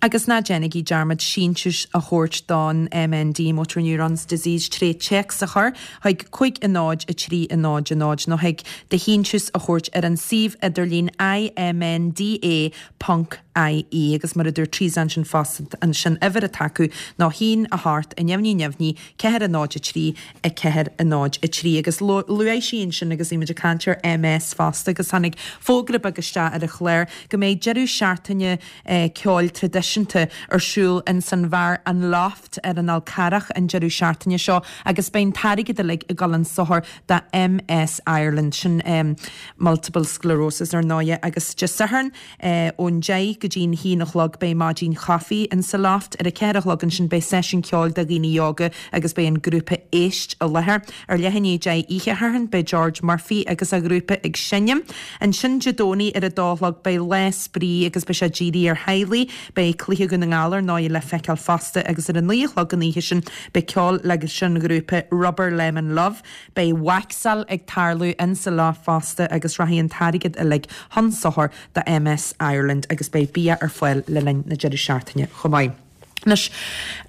Agus ná déanaigí dearmad síntiús a thabhairt don MND, Motor Neurons Disease, tré téacs a chur chuig cúig a náid a trí a náid a náid nó thig do shíntiús a thabhairt ar an suíomh idirlín IMNDA ponc IE. Agus mar a dúirt Teresa ansin fosta ansin uimhir atá acu ná haon a hocht a neamhní neamhní ceathair a náid a trí a ceathair a náid a trí. Agus luaigh sí ansin agus bhí muid ag caint ar MS fosta agus tháinig fógra beag isteach ar an chlár go mbeidh deireadh seachtaine ceoil traidisiúnta ar siúl ins an bheár An Loft ar an Fhál Carrach an deireadh seachtaine seo agus beidh an t-airgead uilig ag dul chun sochair do MS Ireland, sin Multiple Sclerosis ar ndóighe, agus Dé Sathairn ón deich go dtí'n haon a chlog beidh maidin chaife in sa Loft, ar a ceathair a chlog ansin beidh seisiún ceoil do dhaoine óga agus beidh an grúpa Éist i láthair. Ar leath i ndiaidh a deich oíche Shathairn beidh George Murphy agus a ghrúpa ag seinm. Ansin Dé Domhnaigh ar a dó a chlog beidh lá spraoi agus beidh sé dírithe ar theaghlaigh. Beidh Cluiche Dhún na nGall ar ndóigh le feiceáil fosta agus ar a naoi a chlog an oíche sin beidh ceol leis an ghrúpa Rubber Lemon Love. Beidh waxáil ag tarlú in sa Loft fosta agus rachaidh an t-airgead uilig chun sochair do MS Ireland agus beidh bia ar fáil le linn na deireadh seachtaine chomh maith. Anois,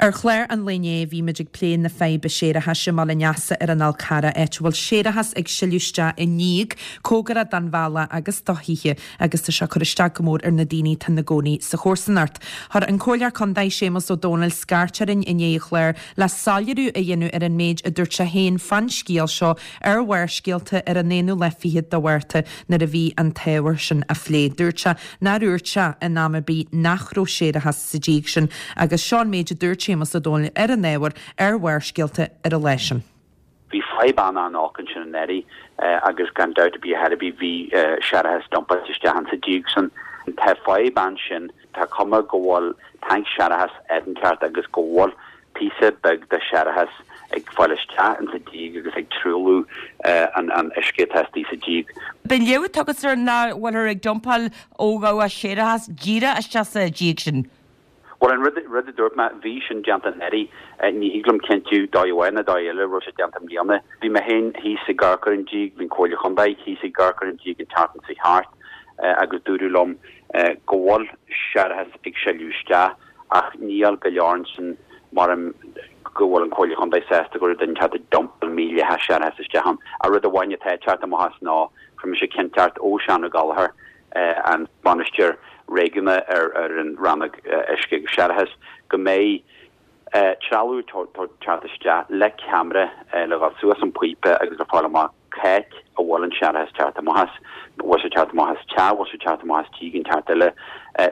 ar chlár an lae inné bhí muid ag plé na faidhbe séarachais i mBaile an Easa ar an Fhál Carrach, áit a bhfuil séarachas ag sileadh isteach i ndíog cóngarach don bhealach agus do thithe agus tá sé ag cur isteach go mór ar na daoine atá ina gcónaí sa chomharsanacht. Chuir an Comhairleoir Contae Séamus Ó Domhnaill scairt orainn i ndiaidh an chláir le soiléiriú a dhéanamh ar an méid a dúirt sé féin fán scéal seo ar Bharrscéalta ar an aonú lá fichead de Mhárta nuair a bhí an t-ábhar sin á phlé. Dúirt sé nár dhúirt sé in am ar bith nach raibh séarachas sa díog sin agus seo an méid a dúirt Séamus Ó Domhnaill ar an ábhar ar Bharrscéalta ar an lá sin. Bhí fadhb an-an-olc ansin anuraidh agus gan dabht ar bith ar bith bhí séarachas dumpáilte isteach insa díog san. Tá fadhb ansin, tá cuma go bhfuil tanc séarachais áit inteacht agus go bhfuil píosa beag de séarachas ag fáil isteach insa díog agus ag truailliú an an uisce atá istigh sa díog. B'in léamh atá agat ar nach bhfuilthear ag dumpáil ó dhabhach séarachas díreach isteach sa díog sin? Bhuel, an rud, rud a dúirt mé, bhí sin déanta anuraidh. Ní thig liom cinntiú dóigh amháin nó dóigh eile raibh sé déanta i mbliana. Bhí mé féin thíos ag amharc ar an díog, bhí an Comhairle Chontae thíos ag amharc ar an díog an tseachtain seo thart agus dúradh liom go bhfuil séarachas ag sileadh isteach ach níl go leor ansin mar go bhfuil an Comhairle Chontae sásta go raibh duine inteacht ag dumpáil mídhleathach séarachas isteach ann. Ach rud amháin atá ag teacht amach as ná fuair mise cinnteacht ó Seán Ó Gallchóir, an bainisteoir réigiúnach ar an rannóg uisce agus séarachais, go mbeidh trealamh ag teacht isteach le ceamara le dhul suas an píopa agus le fáil amach c'áit a bhfuil an séarachas ag teacht amach as, bhfuil sé ag teacht amach as teach, bhfuil sé ag teacht amach as díog inteacht eile,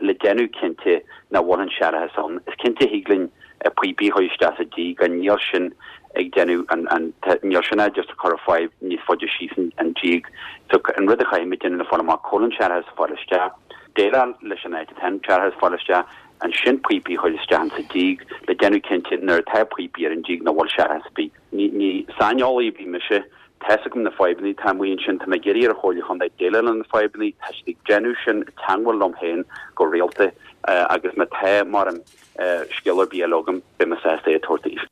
le déanamh cinnte nach bhfuil an séarachas ann. Is cinnte thig linn píopaí a chur isteach sa díog ach níl sin ag déanamh an, an, níl sin just ag cur an fadhb níos faide síos an díog. So an rud a chaithfimid déanamh ná fáil amach cá bhfuil an séarachas ag fáil isteach, déileáil leis an áit atá an séarachas ag fáil isteach, ansin píopaí a chur isteach insa díog le déanamh cinnte nuair atá píopaí ar an díog nach bhfuil séarachas ar bith. Ní, ní saineolaí ar bith mise, tá's agam na fadhbanna atá amuigh ansin, tá mé ag iarraidh ar an Chomhairle Chontae déileáil le na fadhbanna, tá siad ag déanamh sin, ag teangmháil liom féin go rialta agus má tá mar an scéal ar bith eile agam, beidh mé sásta é a tabhairt daoibh.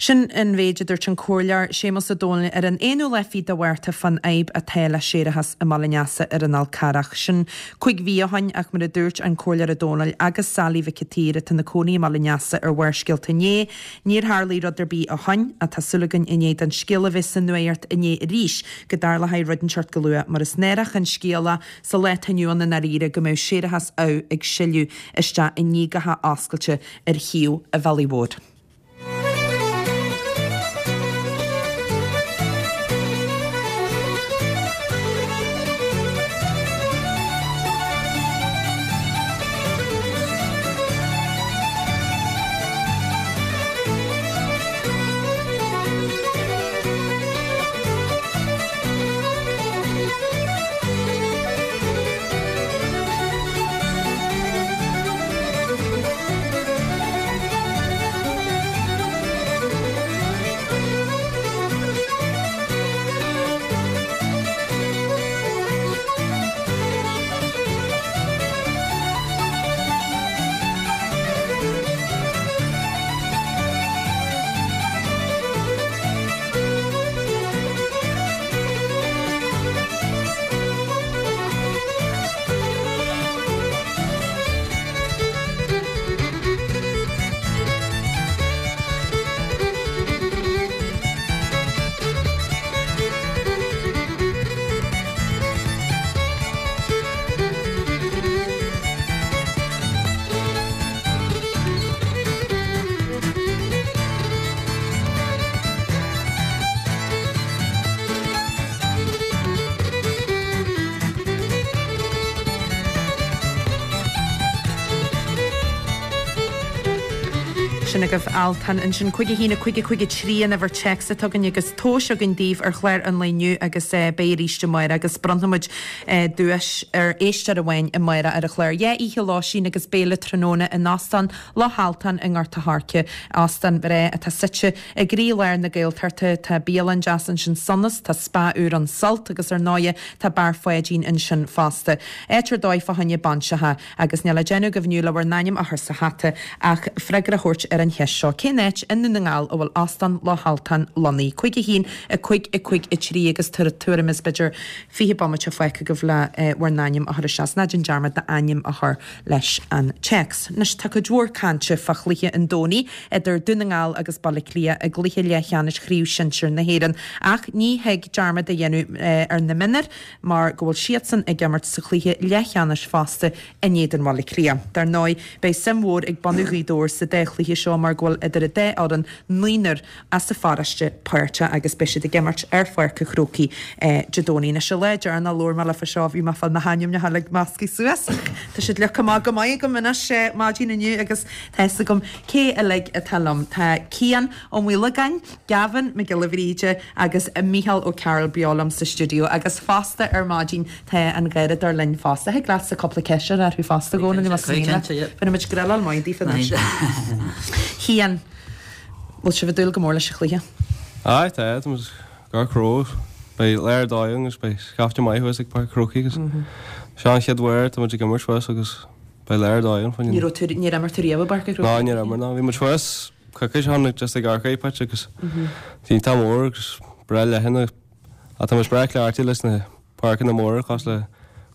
Sin an mhéid a dúirt an Comhairleoir Séamus Ó Domhnaill ar an aonú lá fichead de Mhárta fán fhadhb atá le séarachas i mBaile an Easa ar an Fhál Carrach. Sin cúig mhí ó shoin ach mar a dúirt an Comhairleoir Ó Domhnaill agus Sally Mhic an tSaoir atá ina cónaí i mBaile an Easa ar Bharrscéalta inné, níor tharlaigh rud ar bith ó shoin ach tá súil againn i ndiaidh don scéal a bheith sa nuacht inné arís go dtarlóidh rud inteacht go luath mar is náireach an scéal é sa lá atá inniu ann i ndáiríre go mbeadh séarachas amh ag sileadh isteach i ndíogacha oscailte ar thaobh an bhealaigh mhóir. Sin agaibh Altan ansin cúig a haon a cúig a cúig a trí an uimhir téacs atá againn agus tomhais againn daoibh ar chlár an lae inniu agus beidh arís amárach agus bronnfaimid duais ar éisteoir amháin amárach ar an chlár. Dhá oíche lóistín agus béile tráthnóna in Óstán Loch Altan i nGort a' Choirce, óstán breá atá suite i gcroílár na Gaeltachta. Tá bialann deas ansin Sonas, tá spa úr ann Sult agus ar ndóighe tá Beár Pháidín ansin fosta. Áit ar dóigh fá choinne bainseacha agus níl le déanamh agaibh inniu le bhur n-ainm a chur sa hata ach freagra a thabhairt ar ar an cheist seo. Cén áit i nDún na nGall a bhfuil Óstán Loch Altan lonnaithe? Cúig a haon, a cúig, a cúig, a trí agus tabhair tuairim is b'fhéidir fiche bomaite fágtha agaibh le bhur n-ainm a chur isteach. Ná déan dearmad d'ainm a chur leis an téacs. Anois tá cuid mhór cainte fá chluiche an Domhnaigh idir Dún na nGall agus Baile Átha Cliath i gcluiche leathcheannais Chraobh Shinsir na hÉireann ach ní thig dearmad a dhéanamh ar na mionúir mar go bhfuil siadsan ag imirt sa chluiche leathcheannais fosta in éadan Bhaile Átha Cliath. Dar ndóigh, beidh suim mhór ag bunadh Ghaoth Dobhair sa dá chluiche seo mar go bhfuil idir an dá fhoireann naonúr as an pharóiste páirteach agus beidh siad ag imirt ar Pháirc an Chrócaigh Dé Domhnaigh. Anois, an lá deireanach a labhair mé libh faoi seo bhí mé ag fáil na hainmneacha uilig measctha suas ach tá siad leagtha amach go maith agam anois maidin inniu agus tá fhios agam cé uilig atá liom. Tá Cian Ó Maolagáin, Gavin Mac Giolla Bhríde agus Mícheál Ó Cearúil beo liom sa stiúideo agus fosta ar maidin tá an Garradóir linn fosta. Thig leatsa cúpla ceist a chur orthu fosta a Dhónaill más mian leat. Bhí muid grill maith daofa anois. Cian, bhfuil sibh ag dúil go mór leis an chluiche? Aye, tá, tá muid gar cró. Beidh lá ar dóigh agus beidh scaifte maith thuas ag Páirc an Chrócaigh agus seo an chéad uair tá muid ag imirt thuas agus beidh lá ar dóigh ann Ní raibh tú, níor imir tú riamh i bPáirc an Chrócaigh? Ná, níor imir, ná. Bhí muid thuas coicís ó shin just ag amharc ar pitch agus iontach mór agus breá leathan ach tá muid breá cleachtaithe leis na páirceanna móra cosúil le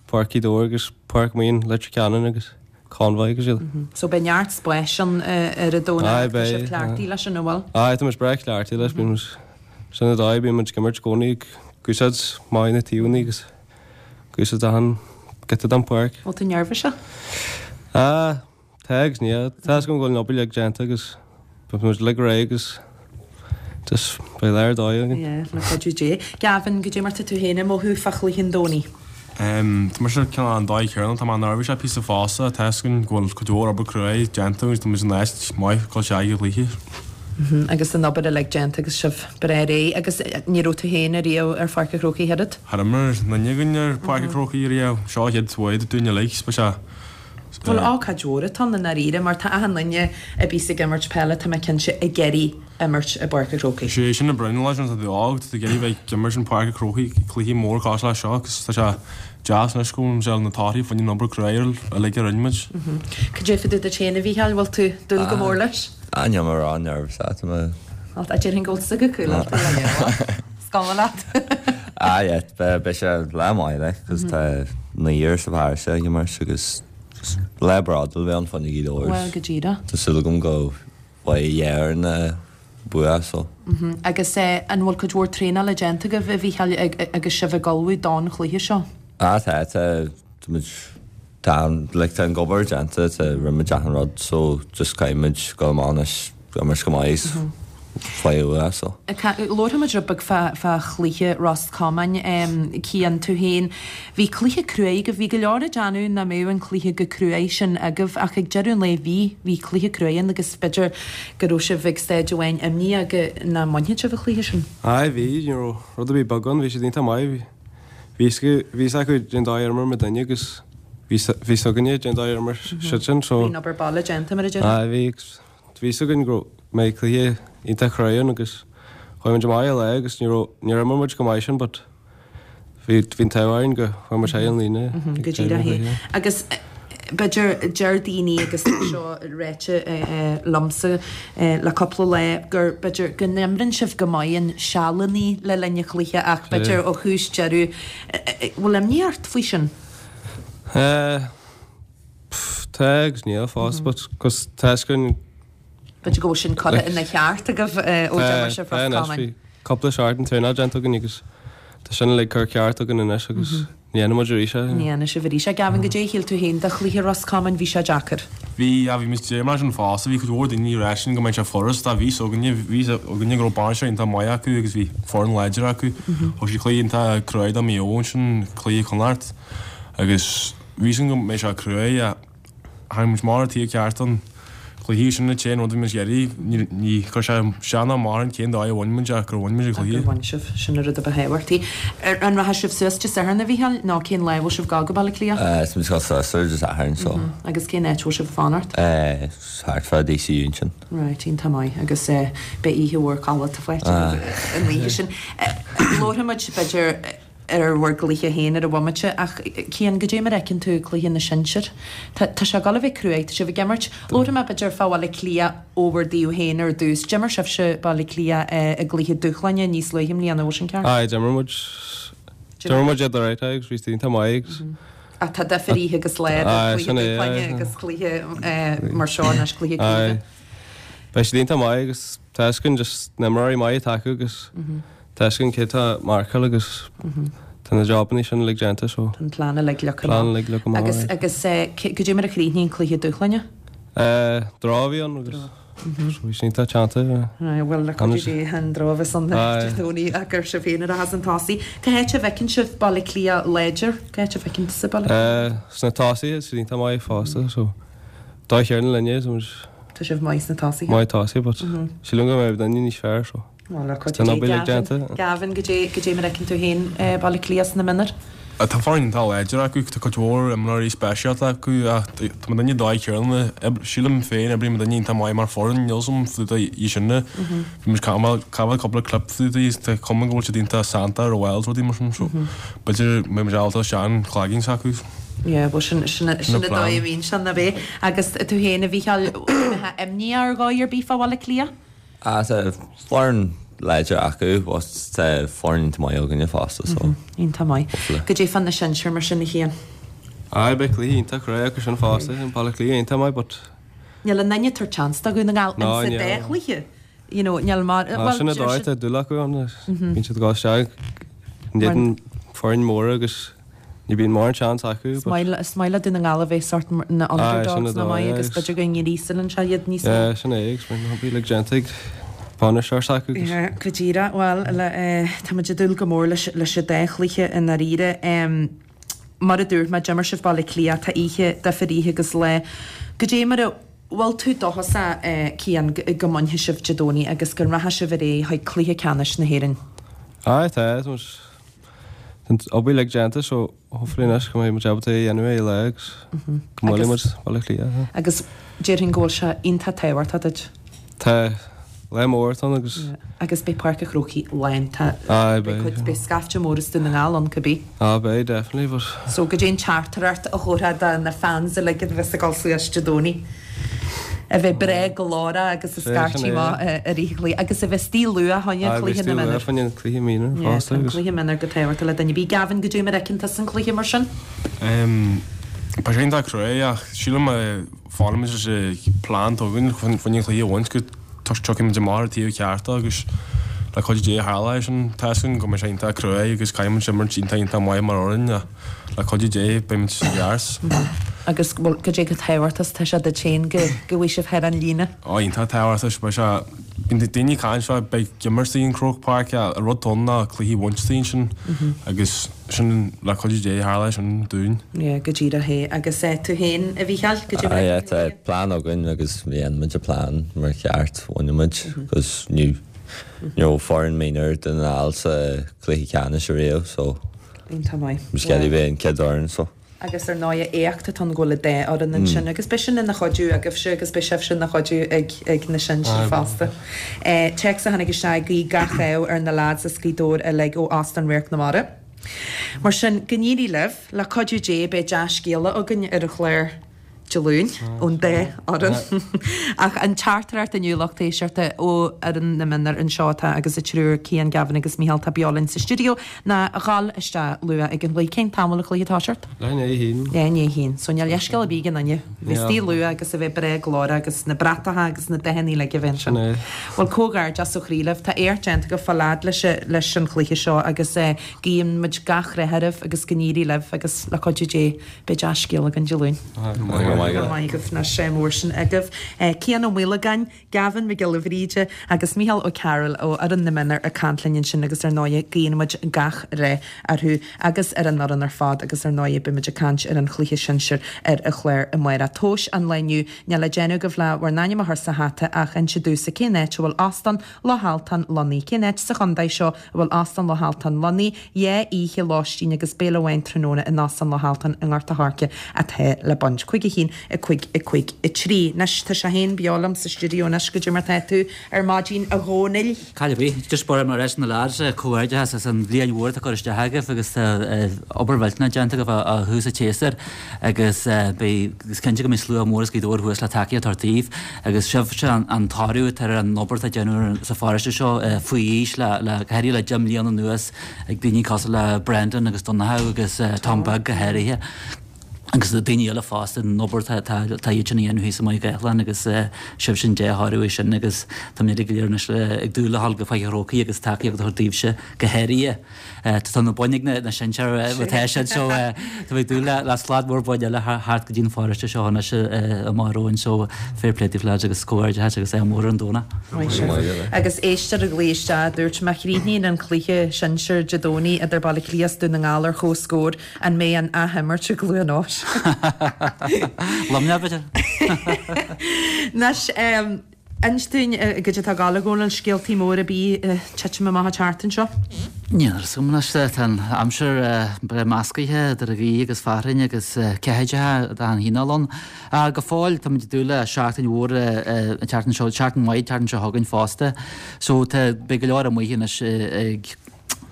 Páirc Ghaoth Dobhair agus Páirc Maoin Leitir Ceanainn agus Convoy agus iad. So beidh neart spáis ann ar an Domhnach Aye, tá sibh beidh. cleachtaithe leis an bhfuil? Aye, tá muid breá cleachtaithe leis, bíonn muid sin an dóigh, bíonn muid ag imirt i gcónaí ag úsáid maith na taobhanna agus ag úsáid achan giota den pháirc. Bhfuil tú neirbhíseach? Ah, tá agus níl. Tá fhios agam go bhfuil an obair uilig déanta agus beidh muid uilig réidh agus just beidh lá ar dóigh againn. Yeah, le cuidiú Dé. Gavin, goidé mar tá tú féin ag mothú fá chluiche an Domhnaigh? Um, tá mise cineál an dóigh chéanna, tá mé neirbhíseach píosa fosta, tá fhios againn go bhfuil cuid mhór obair cruaidh déanta agus tá muid in áit maith dul isteach i gcluiche. Agus an obair uilig déanta agus sibh breá réidh agus ní raibh tú féin ariamh ar Pháirc an Chrócaigh oiread? Char imir duine againn ar Pháirc an Chrócaigh riamh, seo an chéad uair dúinn uilig, beidh sé Bhuel, ócáid mhór atá ann i ndáiríre mar tá achan duine a bhíos ag imirt peile, tá mé cinnte, ag iarraidh imirt i bPáirc an Chrócaigh. Sé sin an brionglóid leis an tá tú óg, tá tú ag iarraidh bheith ag imirt in Páirc an Chrócaigh, cluichí mór cosúil leis seo agus tá sé deas anois go bhfuil sé na torthaí fá choinne an obair cruaidh uilig a rinne muid. Cad é fá dtaobh duit féin a Mhícheáil, bhfuil tú ag dúil go mór leis? Ah, níl mé ró-neirbhíseach, tá mé. Bhuel, a déarfainn go bhfuil tusa go cool leat, is cuma leat. Ah, yeah, beidh sé lá maith like, cos tá naonúr sa pharóiste ag imirt agus lá bródúil a bheidh ann fá choinne Ghaoth Dobhair. Bhuel, go díreach. Tá súil agam go bhfaighidh dhá fhoireann bua so. Agus an bhfuil cuid mhór traenála déanta agaibh, a Mhícheáil, agus sibh ag ullmhú don chluiche seo? Ah, tá, tá, tá muid, tá an, like, tá an obair déanta, tá, rinne muid achan rud so just caithfidh muid dul amach anois, imirt go maith is fáil bua so. Labharfaidh muid rud beag fá, fá chluiche Ros Comáin, Cian, tú féin. Bhí cluiche cruaidh agaibh, bhí go leor ag déanamh nach mbeadh an cluiche chomh cruaidh sin agaibh ach ag deireadh an lae bhí, bhí cluiche cruaidh ann agus b'fhéidir go raibh sibh ag staid amháin imníoch go nach mbainfeadh sibh an cluiche sin. Aye, bhí, ní raibh rud ar bith beag ann, bhí siad iontach maith, bhí, bhí bhí fhios acu cén dóigh ar imir muidinne agus bhí bhí fhios againne cén dóigh ar imir siad sin so. Bhí an obair baile déanta mar a déarfá. Aye, bhí, bhí fhios againn go mbeidh cluiche iontach cruaidh ann agus chuaigh muid amach ar lá agus ní raibh, níor imir muid go maith sin but bhí, bhí an t-ádh orainn go chuaigh muid thar an líne Go díreach é. Agus b'fhéidir deir daoine agus tá seo ráite liomsa le cúpla lá gur b'fhéidir go n-imríonn sibh go maith in sealannaí le linn an chluiche ach b'fhéidir ó thús deireadh bhfuil imní ort faoi sin? Eh, pff, tá agus níl fós but cos tá fhios againn B'fhéidir go bhfuil sin curtha ina cheart agaibh ó d'imir sibh Tá, Ros tá anois, Comáin. bhí cúpla seachtain traenáil déanta againn agus tá sin uilig curtha ceart againn anois agus ní dhéanfaidh muid arís é. Ní dhéanfaidh sibh arís é. Gavin, goidé a shíl tú féin de chluiche Ros Comáin, bhí sé deacair. Bhí, yeah, bhí muid ag mar sin fosta, bhí cuid mhór daoine ag rá sin go mbeadh sé furast, ach bhí fhios againne, bhí fhios againne go raibh bainisteoir iontach maith acu agus bhí foireann láidir acu. Thug siad cluiche iontach cruaidh do Maigh Eo ansin, cluiche Chonnacht, agus bhí fhios againn go mbeadh sé cruaidh, ach tháinig muid amach ar an taobh ceart an cluiche sin an t-aon rud a bhí muid ag iarraidh, ní, ní chuir sé isteach ná amach orainn cén dóigh a bhain muid ach gur bhain muid an Ach cluiche. gur bhain sibh, sin an rud a ba thábhachtaí. Ar, an rachaidh sibh suas Dé Sathairn a Mhícheáil nó cén lá a bhfuil sibh ag gabháil go Baile Átha Cliath? Eh, tá muid ag dul suas ar Dé Sathairn so. Agus cén áit a bhfuil sibh ag fanacht? Eh, thart fá DCU ansin. Right, iontach maith agus eh, beidh oíche mhór codlata faighte agaibh an oíche sin. Eh, labharfaidh muid b'fhéidir ar bhur gcluiche féin ar an bhomaite ach Cian, goidé mar a fheiceann tú cluiche na sinsear? Tá tá sé ag dul a bheith cruaidh, tá sibh ag imirt, labharfaidh mé b'fhéidir fá Bhaile Átha Cliath ó bhur dtaobh féin ar dtús. D'imir sibhse Baile Átha Cliath i gcluiche dúshláine níos luaithe i mbliana, bhfuil sin ceart? Aye, d'imir muid, d'imir muid iad alright agus bhí siad iontach maith agus. Ach tá difear oíche agus lá idir cluiche dúshláine agus cluiche mar seo anois, cluiche craoibhe. Beidh siad iontach maith agus tá fhios againn just na imreoirí maith atá acu agus tá fhios againn cé atá ag marcáil agus tá na jobanna sin uilig déanta so. Tá an plean uilig leagtha amach. Plean uilig leagtha amach. Agus agus goidé mar a chríochnaigh an cluiche dúshláine? Draw a bhí ann agus bhí sé iontach teannta. Bhuel le cuidiú Dé an draw a bheas ann Dé Domhnaigh ach gur sibh féin a rachas chun tosaigh. Cá háit a bhfeiceann sibh Baile Átha Cliath láidir? Cá háit a bhfeiceann tusa Baile Átha Cliath? Sna tosaithe, siad iontach maith fosta so dóigh chéanna linne so muid Tá sibh maith sna tosaithe. Maith tosaithe but sílim go mbeidh duine níos fearr so Bhuel le tá cuidiú an Dé obair uilig Gavin, déanta. Gavin goidé goidé mar a fheiceann tú féin Baile Átha Cliath sna mionúir? Tá foireann iontach láidir acu, tá cuid mhór imreoirí speisialta acu ach tá muidinne an dóigh chéanna, sílim féin, oibríonn muidinne iontach maith mar foireann, níl 's agam fá dtaobh dhe sin. Bhí muid ag gabháil cúpla clip fá dtaobh tá cuma go bhfuil siad iontach sannta ar bhaill is rudaí mar sin so b'fhéidir mbeidh muid ábalta isteach an cloigeann s'acu. Yeah, bhuel sin sin sin an dóigh a bhíonn sin, ab é? Agus tú féin, a Mhícheáil, mbeifeá imníoch ar dhóigh ar bith fá Bhaile Átha Cliath? Ah, tá foireann láidir acu but tá foireann iontach maith againne fosta so. Iontach maith. Hopefully. Goidé fá na sinsir mar sin a Chian? Aye, beidh cluiche iontach crua acu sin fosta, an Baile Átha Cliath iontach maith but. Níl aon duine ag tabhairt seans do Dhún na nGall No, insa níl. dá chluiche. You know, níl mar, Ah, bhuel, sin an deir dóigh siad. atá dúil acu ann, bíonn siad ag dul isteach in éadan foireann móra agus Ní bíonn mórán seans acu Is maith is maith le Dún na nGall a bheith sort na Aye, sin underdogs an nach dóigh, maith agus agus b'fhéidir go ngríosann sé iad níos mó. Yeah, sin é agus bíonn na hobair uilig déanta ag bainisteoir s'acu agus. Yeah, go díreach. Bhuel, le, eh, tá muid ag dúil go mór leis, leis an dá chluiche i ndáiríre. Em, mar a dúirt mé, d'imir sibh Baile Átha Cliath, tá oíche, difear oíche agus lá. Goidé mar a bhfuil tú dóchasach, eh, Cian, go, go mbainfidh sibh Dé Domhnaigh agus go rachaidh sibh ar aghaidh chuig cluiche ceannais na hÉireann? Aye, tá, tá muid Tá an obair uilig déanta so hopefully anois go mbeidh muid ábalta é a dhéanamh ar lá agus go mbuailfidh muid Baile Átha Cliath. Agus déarfainn go bhfuil sé iontach tábhachtach duit. Tá, lá mór atá ann agus. Agus beidh Páirc an Chrócaigh lán, tá Aye, beidh beidh. cuid, beidh scaifte mór as Dún na nGall ann cibé. Ah, beidh, definitely, but. So goidé an teachtaireacht a thabharfá do na fans uilig a bheas ag dul suas Dé Domhnaigh. A bheith breá glórach agus ag scairtigh amach i rith an chluiche agus a bheith istigh luath fá choinne cluiche na mionúr. Fá choinne cluiche mionúr fosta. Tá an cluiche mionúr go tábhachtach le duine ar bith. Gavin, goidé mar a fheiceann tusa an cluiche mar sin? Beidh sé iontach cruaidh ach sílim má fanaimid leis an plean atá againn fá choinne an cluiche a bhaint go tiocfaidh muid amach ar an taobh ceart agus le cuidiú Dé tharla é sin. Tá 'fhios againn go mbeidh sé iontach cruaidh agus caithfidh muid imirt iontach iontach maith mar fhoireann ach le cuidiú Dé beidh muid i gceart. Agus bhuel goidé chomh tábhachtach is atá sé duit féin go go bhfaighidh sibh thar an líne? Ó iontach tábhachtach beidh sé bíonn daoine ag caint fá beidh imirt istigh in Croke Park an rud atá ann ná cluiche a bhaint istigh ansin agus sin le cuidiú Dé tharla é sin dúinn. Yeah, go díreach é. Agus eh tú féin a Mhícheáil, goidé mar Ah a yeah fheiceann tú tá é? plean againn agus má dhéanann muid an plean mar cheart bhainfidh muid 'cause ní ní raibh foireann mionúir Dún na nGall sa chluiche ceannais ariamh so Iontach maith. Is cead a bheith an chéad fhoireann so. Agus ar ndóigh éacht atá ann go bhfuil an dá fhoireann ansin agus beidh sin ina chuidiú agaibhse agus beidh sibhse ina chuidiú ag ag na sinsir fosta. Téacs a tháinig isteach ag guí gach ádh ar na lads as Gaoth Dobhair uilig ó Óstán Radharc na Mara. Mar sin, go n-éirí libh, le cuidiú Dé beidh dea-scéala againn ar an chlár. Dé Luain ón dá fhoireann. Ach an teachtaireacht inniu lucht éisteachta ó fhoireann na mionúr anseo atá agus an triúr, Cian, Gavin agus Mícheál atá beo linn sa stiúideo, ná a dhul isteach luath ag an gcluiche. Cén t-am a bhfuil an cluiche ag toiseacht? Leath i ndiaidh a haon. Leath i ndiaidh a haon. So níl leithscéal ar bith ag aon duine. Bheith istigh luath agus a bheith breá glórach agus na bratacha agus na dathanna uilig a bheith ansin. Sin é. Bhuel, comhghairdeas ó chroí libh. Tá éacht déanta agaibh fáil fhad leis leis an chluiche seo agus guíonn muid gach rath oraibh agus go n-éirí libh agus le cuidiú Dé beidh dea-scéal againn Dé Luain. Go raibh maith agaibh. Go raibh maith agaibh. Anois mór sin agaibh. Cian Ó Maolagáin, Gavin Mac Giolla Bhríde agus Mícheál Ó Cearúil ó fhoireann na mionúr ag caint linn ansin agus ar ndóigh guíonn muid gach rath orthu agus ar an fhoireann ar fad agus ar ndóigh beidh muid ag caint ar an chluiche sinsir ar an chlár amárach. Tomhais an lae inniu, níl le déanamh agaibh le bhur n-ainm a chur sa hata ach inse domhsa cén áit a bhfuil Óstán Loch Altan lonnaithe, cén áit sa chontae seo a bhfuil Óstán Loch Altan lonnaithe, dhá oíche lóistín agus béile amháin tráthnóna in Óstán Loch Altan i nGort a' Choirce atá le baint. Cúig a haon, a cúig a cúig a trí. Anois tá sé féin beo liom sa stiúideo anois goidé mar tá tú ar maidin a Dhónaill. Cad é just bor mar leis na lads comhghairdeas as an bhliain mhór atá curtha isteach agaibh agus obair mhillteanach déanta agaibh ó thús an tséasúir agus beidh is cinnte go mbeidh slua mór as Gaoth Dobhair thuas le tacaíocht a thabhairt daoibh agus sibhse an toradh atá ar an obair atá déanamh sa pharóiste seo faoi aois le le go háirithe le deich mbliana anuas ag daoine cosúil le Brendan agus Donnchadh agus Tom Beag go háirithe. agus na daoine eile fosta an obair tá iad sin a dhéanamh thíos i Maigh Ghaelán agus sibhse an dea-thoradh é sin agus tá muid go léir anois ag dúil le dhul go Faiche Chrócaigh agus tacaíocht a thabhairt daoibhse go háirithe. Tá na boinn ag na sinsir atá siad so tá mé ag dúil le slad mór boinn eile thart go dtí an pharóiste seo anois amach romhainn so fair play daoibh lads agus comhghairdeas agus ádh mór ar an Domhnach. Agus éisteoir a ghlaoigh isteach, dúirt má chríochnaíonn an cluiche sinsir Dé Domhnaigh idir Baile Átha Cliath is Dún na nGall ar comhscór, an mbeidh an athimirt i gCluain Eois? Luimneach b'fhéidir. Anois, inis dúinn goidé atá ag gabháil a Dhónaill, scéaltaí móra ar bith ag titim amach an tseachtain seo? Níl a fhios agam anois, tá an aimsir breá meascaithe idir an ghaoth agus fearthainn agus ceathaideacha d'achan chineál ann. Go fóill táimid ag dúil le seachtain mhór an tseachtain seo, seachtain mhaith an tseachtain seo chugainn fosta. So tá, beidh go leor amuigh anois ag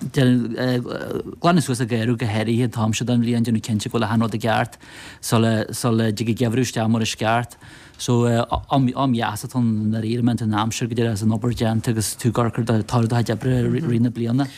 glanadh suas an garraí go háirithe an t-am seo den bhliain, déanamh cinnte go bhfuil achan rud i gceart sula sula dtig an geimhreadh isteach mar is ceart. So am am dheas atá ann i ndáiríre, má tá an aimsir go deireadh is an obair déanta agus tú ag amharc ar do toradh do chuid oibre i rith na bliana.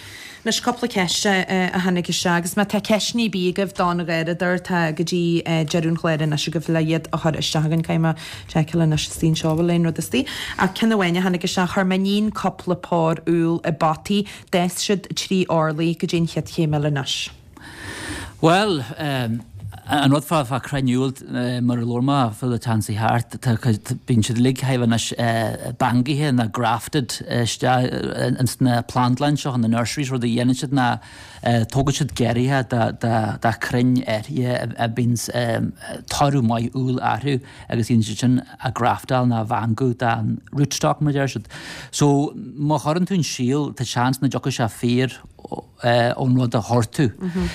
Anois cúpla ceist a tháinig isteach agus má tá ceisteanna ar bith agaibh don gharradóir tá go dtí deireadh an chláir anois agaibh le iad a chur isteach againn. Caithfidh mé seiceáil anois istigh anseo an bhfuil aon rud istigh. Ach ceann amháin a tháinig isteach, chuir m'iníon cúpla pár úll i bpotaí, d'fhás siad trí orlaí, goidé an chéad chéim eile anois. Bhuel, an rud fá fá crainn úll, mar a labhair mé fá an tseachtain seo thart, tá cuid, bíonn siad uilig chóir a bheith anois bangaithe nó grafted isteach ins na plandlann seo, na nurseries, rud a dhéanann siad ná tógann siad giorria de de de chrainn áirithe a bíonns toradh maith úll orthu agus dhéanann siad sin a graftáil nó a bhangú den rootstock mar a deir siad. So má chuireann tú an síol, tá seans nach dtiocfaidh sé fíor ón rud a chuir tú.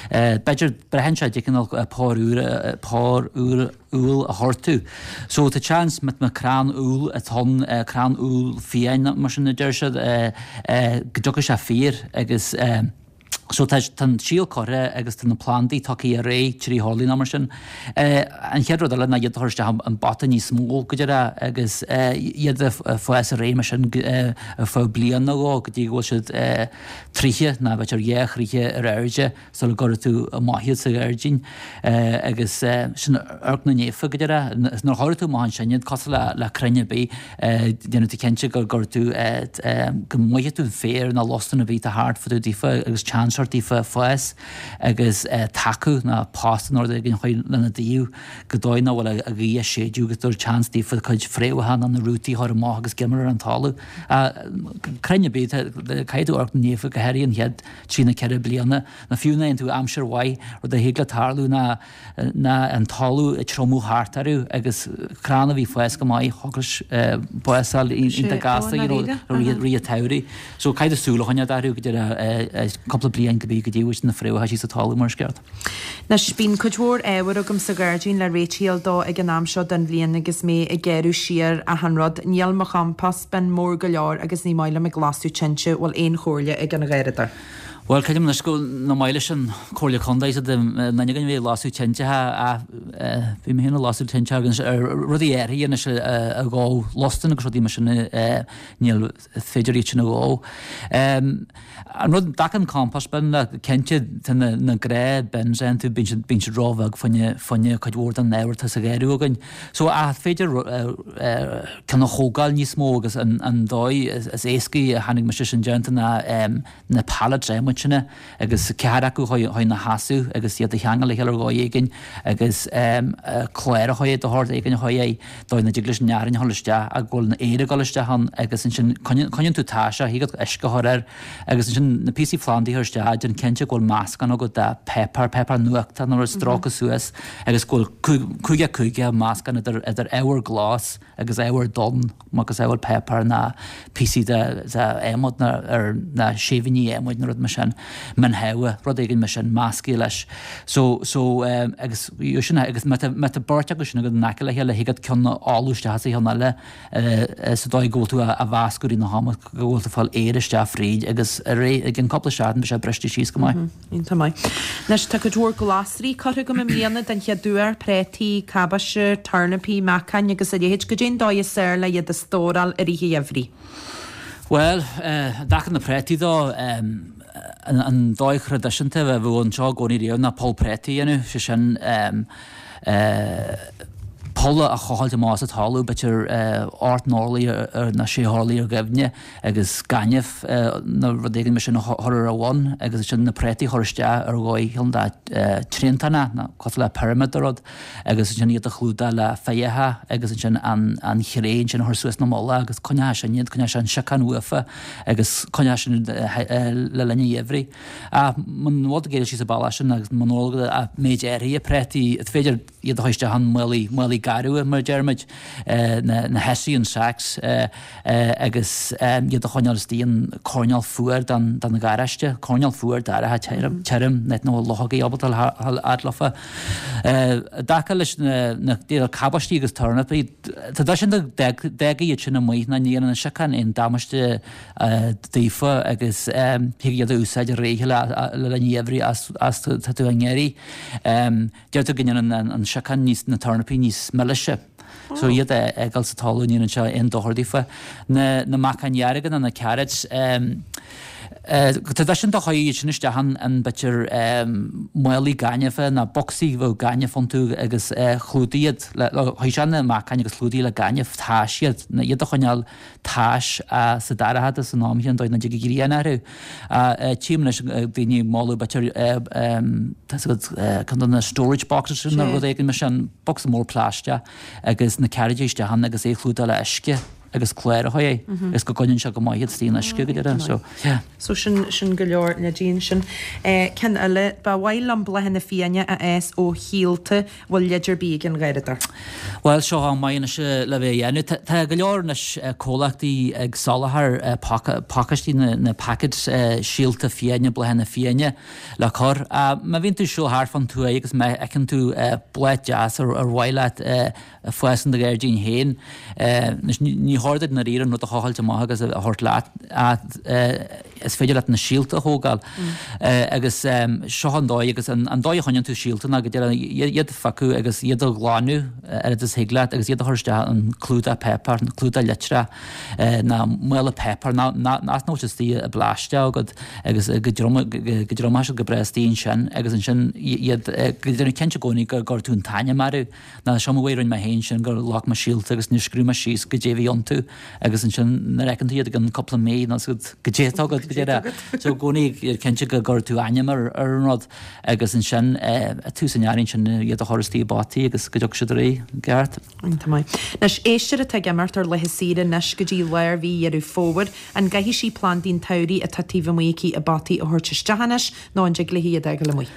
B'fhéidir braitheann sé de chineál pár úr pár úr úll a chuir tú. So tá seans má tá crann úll atá ann, crann úll fiáin mar sin a deir siad, go dtiocfaidh sé fíor agus so tá tá an síol curtha agus tá na plandaí tugtha ar aghaidh trí horlaí nó mar sin. An chéad rud eile ná iad a chur isteach i bpota níos mó go deireadh agus iad a fás ar aghaidh mar sin ar feadh bliain nó dhó go dtí go bhfuil siad troithe nó b'fhéidir dhá throithe ar airde sula gcuirfidh tú amach iad sa ghairdín agus sin amharc na naofa go deireadh. Nuair a chuirfidh tú amach ansin iad cosúil le le crainn ar bith déanfaidh tú cinnte go gcuirfidh tú go mbainfidh tú an féar nó lostan a bhí tá thart fá dtaobh daofa agus chance a thabhairt daofa fás agus tacú nó post nó rud éigin a chur lena dtaobh go dóigh nach bhfuil an ghaoth ag séideadh agus tabhair chance daofa cuid fréamhacha nó na rútaí a chur amach agus giormar ar an talamh. Crainn ar bith, caithfidh tú amharc na naofa go háirithe an chéad trí nó ceithre bliana nó fiú má fhaigheann tú aimsir mhaith, rud a thig le tarlú ná ná an talamh ag triomú thart orthu agus crann a bhí ag fás go maith thig leis bás a fháil iontach gasta you know i rith an tsamhraidh. So caithfidh tú súil a choinneáil orthu go dtí cúpla bliain go dtí go dtí bhfuil na fréamhacha síos sa talamh mar is ceart. Anois, bíonn cuid mhór ábhair agam sa ghairdín le réitigh dó ag an am seo den bhliain agus mé ag gearradh siar achan rud. Níl mo chompost bin mór go leor agus ní maith liom ag lasadh tinte, bhfuil aon chomhairle ag an gharradóir? Bhuel, creidim anois go nach maith leis an Comhairle Contae sa duine againn a bhí ag lasadh tinte ach bhí mé féin ag lasadh tinte agus rudaí áirithe anois a dhó, lostan agus rudaí mar sin níl féidir iad sin a dhó. An rud, dtaca an compost bin, cinnte tá na na gnáth bins a fhaigheann tú, bíonn siad bíonn siad róbheag fá choinne fá choinne cuid mhór den ábhar atá sa gharradh againn. So ach féidir ceann a thógáil níos mó agus an an dóigh is éascaí a chonaic mise sin déanta ná na pallets adhmaid sin agus ceathair acu chun na sheasamh agus iad a cheangal le chéile ar dhóigh éigin agus clár a chur de shórt éigin a chur air dóigh nach dtig leis an fhearthainn a dhul isteach ach go bhfuil an aer ag dul isteach ann agus ansin coinníonn tú taise, thig leat uisce a chur air agus ansin na píosaí plandaí a chur isteach, déan cinnte go bhfuil meascán agat de pháipéar, páipéar nuachta nó rud stróicthe suas agus go bhfuil cúige cúige meascán idir idir ábhar glas agus ábhar donn macasamhail páipéar ná píosaí de adhmad ná ar na séibhíní adhmaid nó rud mar sin. sin, min shamha, rud éigin mar sin measctha leis. So, so, agus sin agus má tá, má tá beirt acu sin agat in aice le chéile thig leat ceann a fholú isteach sa cheann eile sa dóigh go bhfuil tú á mheascadh i rith na hama go bhfuil tú ag fáil aer isteach fríd agus ar i gcionn cúpla seachtain beidh sé briste síos go maith. Iontach maith. Anois tá cuid mhór glasraí curtha agam i mbliana den chéad uair, préataí, cabáiste, tornapaí, meacain agus a leithéid. Goidé an dóigh is fearr le iad a stóráil i rith an gheimhridh? Bhuel, i dtaca na préataí dó, an dóigh thraidisiúnta a bheadh anseo i gcónaí riamh ná poll préataí a dhéanamh, sé sin poll a thochailt amach sa talamh, b'fhéidir ocht n-orlaí nó sé horlaí ar dhoimhne agus gaineamh nó rud éigin mar sin a chur ar a bhun agus ansin na préataí a chur isteach ar dhóigh cineál de triantán nó cosúil le pyramid de rud agus ansin iad a chlúdach le féitheacha agus ansin an an chré ansin a chur suas ina mullach agus coinneoidh sin iad, coinneoidh sé an siocán uafa agus coinneoidh sin le linn an gheimhridh. Ach muna bhfuil tú ag iarraidh síos an bealach sin agus muna bhfuil ach méid áirithe préataí, is féidir iad a chur isteach in málaí, málaí garbha mar a deirimid, na na hessian sacks agus iad a choinneáil istigh in coirnéal fuar den den gharáiste, coirnéal fuar dorcha tirim, tirim, nach bhfuil luchógaí ábalta a dhul fhad leofa. I dtaca leis na na cabáistí agus tornapaí, tá sé sin d'fhágfaí iad sin amuigh ná ní dhéanann an siocán aon damáiste daofa agus thig iad a úsáid i rith le linn an gheimhridh as as tá tú á n-iarraidh. Deirtear go ndéanann an siocán níos na tornapaí níos milise. So iad a fhágáil sa talamh ní dhéanann sé aon dochar daofa. Na na meacain dhearga nó na carrots, tá sin do chuir iad sin isteach in in b'fhéidir málaí gainimhe nó bocsaí a bheadh gaineamh iontu agus chlúdaigh iad le chuir sé na meacain agus chlúdaigh le gaineamh tais iad, iad a choinneáil tais sa dorchadas san am chéanna dóigh nach dtig an ghrian orthu. Tchím anois daoine ag moladh b'fhéidir tá 's agat ceann de na storage boxes sin nó rud éigin mar sin, bocsa mór plaisteach agus na cearraidí isteach ann agus é a chlúdach le uisce agus clár a chur air agus go gcoinníonn sé go maith iad istigh in uisce go deireadh so yeah. So sin sin go leor leidí ansin. Ceann eile, ba mhaith liom bláthanna fiáine a fhás ó shíolta bhfuil leid ar bith ag an gharradóir? Bhuel, seo am maith anois le bheith á dhéanamh. Tá go leor anois comhlachtaí ag soláthar pacáistí, na packets síolta fiáine, bláthanna fiáine le cur. Má bhíonn tú ag siúl thart fán tuaith agus má fheiceann tú bláth deas ar mhaith leat a fás in do ghairdín féin, anois ní chóir duit i ndáiríre an rud a thochailt amach agus a thabhairt leat ach is féidir leat na síolta a thógáil agus seo an dóigh agus an dóigh a choinníonn tú síolta ná go deireadh iad a phiocadh agus iad a ghlanadh oiread is thig leat agus iad a chur isteach in clúdach páipéir, clúdach litreach nó mála páipéir ná nach bhfuil sé istigh i bplaisteach agat agus go dtriomóidh siad go breá istigh ansin agus ansin iad go déanamh cinnte i gcónaí go gcuir tú an t-ainm orthu. Ná seo mo mhaith a rinne mé féin sin gur ghlac mé síolta agus níor scríobh mé síos goidé a bhí iontu agus ansin nuair a fheiceann tú iad i gcionn cúpla mí nó goidé atá agat go deireadh. So i gcónaí cinnte go gcuir tú ainm ar ar an rud agus ansin ag tús an earraigh ansin iad a chur istigh i bpotaí agus go dtiocfaidh siad ar aghaidh i gceart. Iontach maith. Anois, éisteoir atá ag imeacht ar laetha saoire anois go dtí lár mhí Dheireadh Fómhair, an gcaithfidh sí plandaí an tsamhraidh atá taobh amuigh aici i bpotaí a thabhairt isteach anois nó an dtig léi iad a fhágáil amuigh?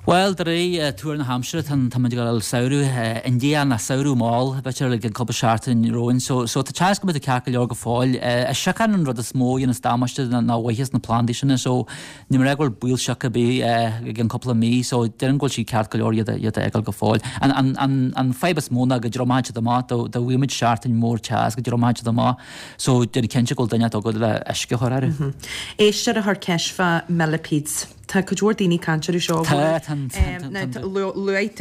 Bhuel, de réir tuar na haimsire, tá muid ag dul samhradh indiach nó samhradh mall, b'fhéidir, i gcionn cúpla seachtain romhainn. So, so tá seans go mbeidh tú ceart go leor go fóill. Is siocán an rud is mó a dhéanas damáiste ná maitheas na plandaí sin, so níl mé ag rá go bhfuil baol sioc ar bith i gcionn cúpla mí, so déarfainn go bhfuil sí ceart go leor iad a, iad a fhágáil go fóill. An, an, an, an fadhb is mó ná go dtriomóidh siad amach, dá, dá bhfaighidh muid seachtain mór teas go dtriomóidh siad amach, so déan cinnte go bhfuil duine agat le uisce a chur orthu. Éisteoir a chuir ceist fá millipedes. Tá cuid mhór daoine ag caint orthu seo. Tá, tá, tá, tá. Luaigh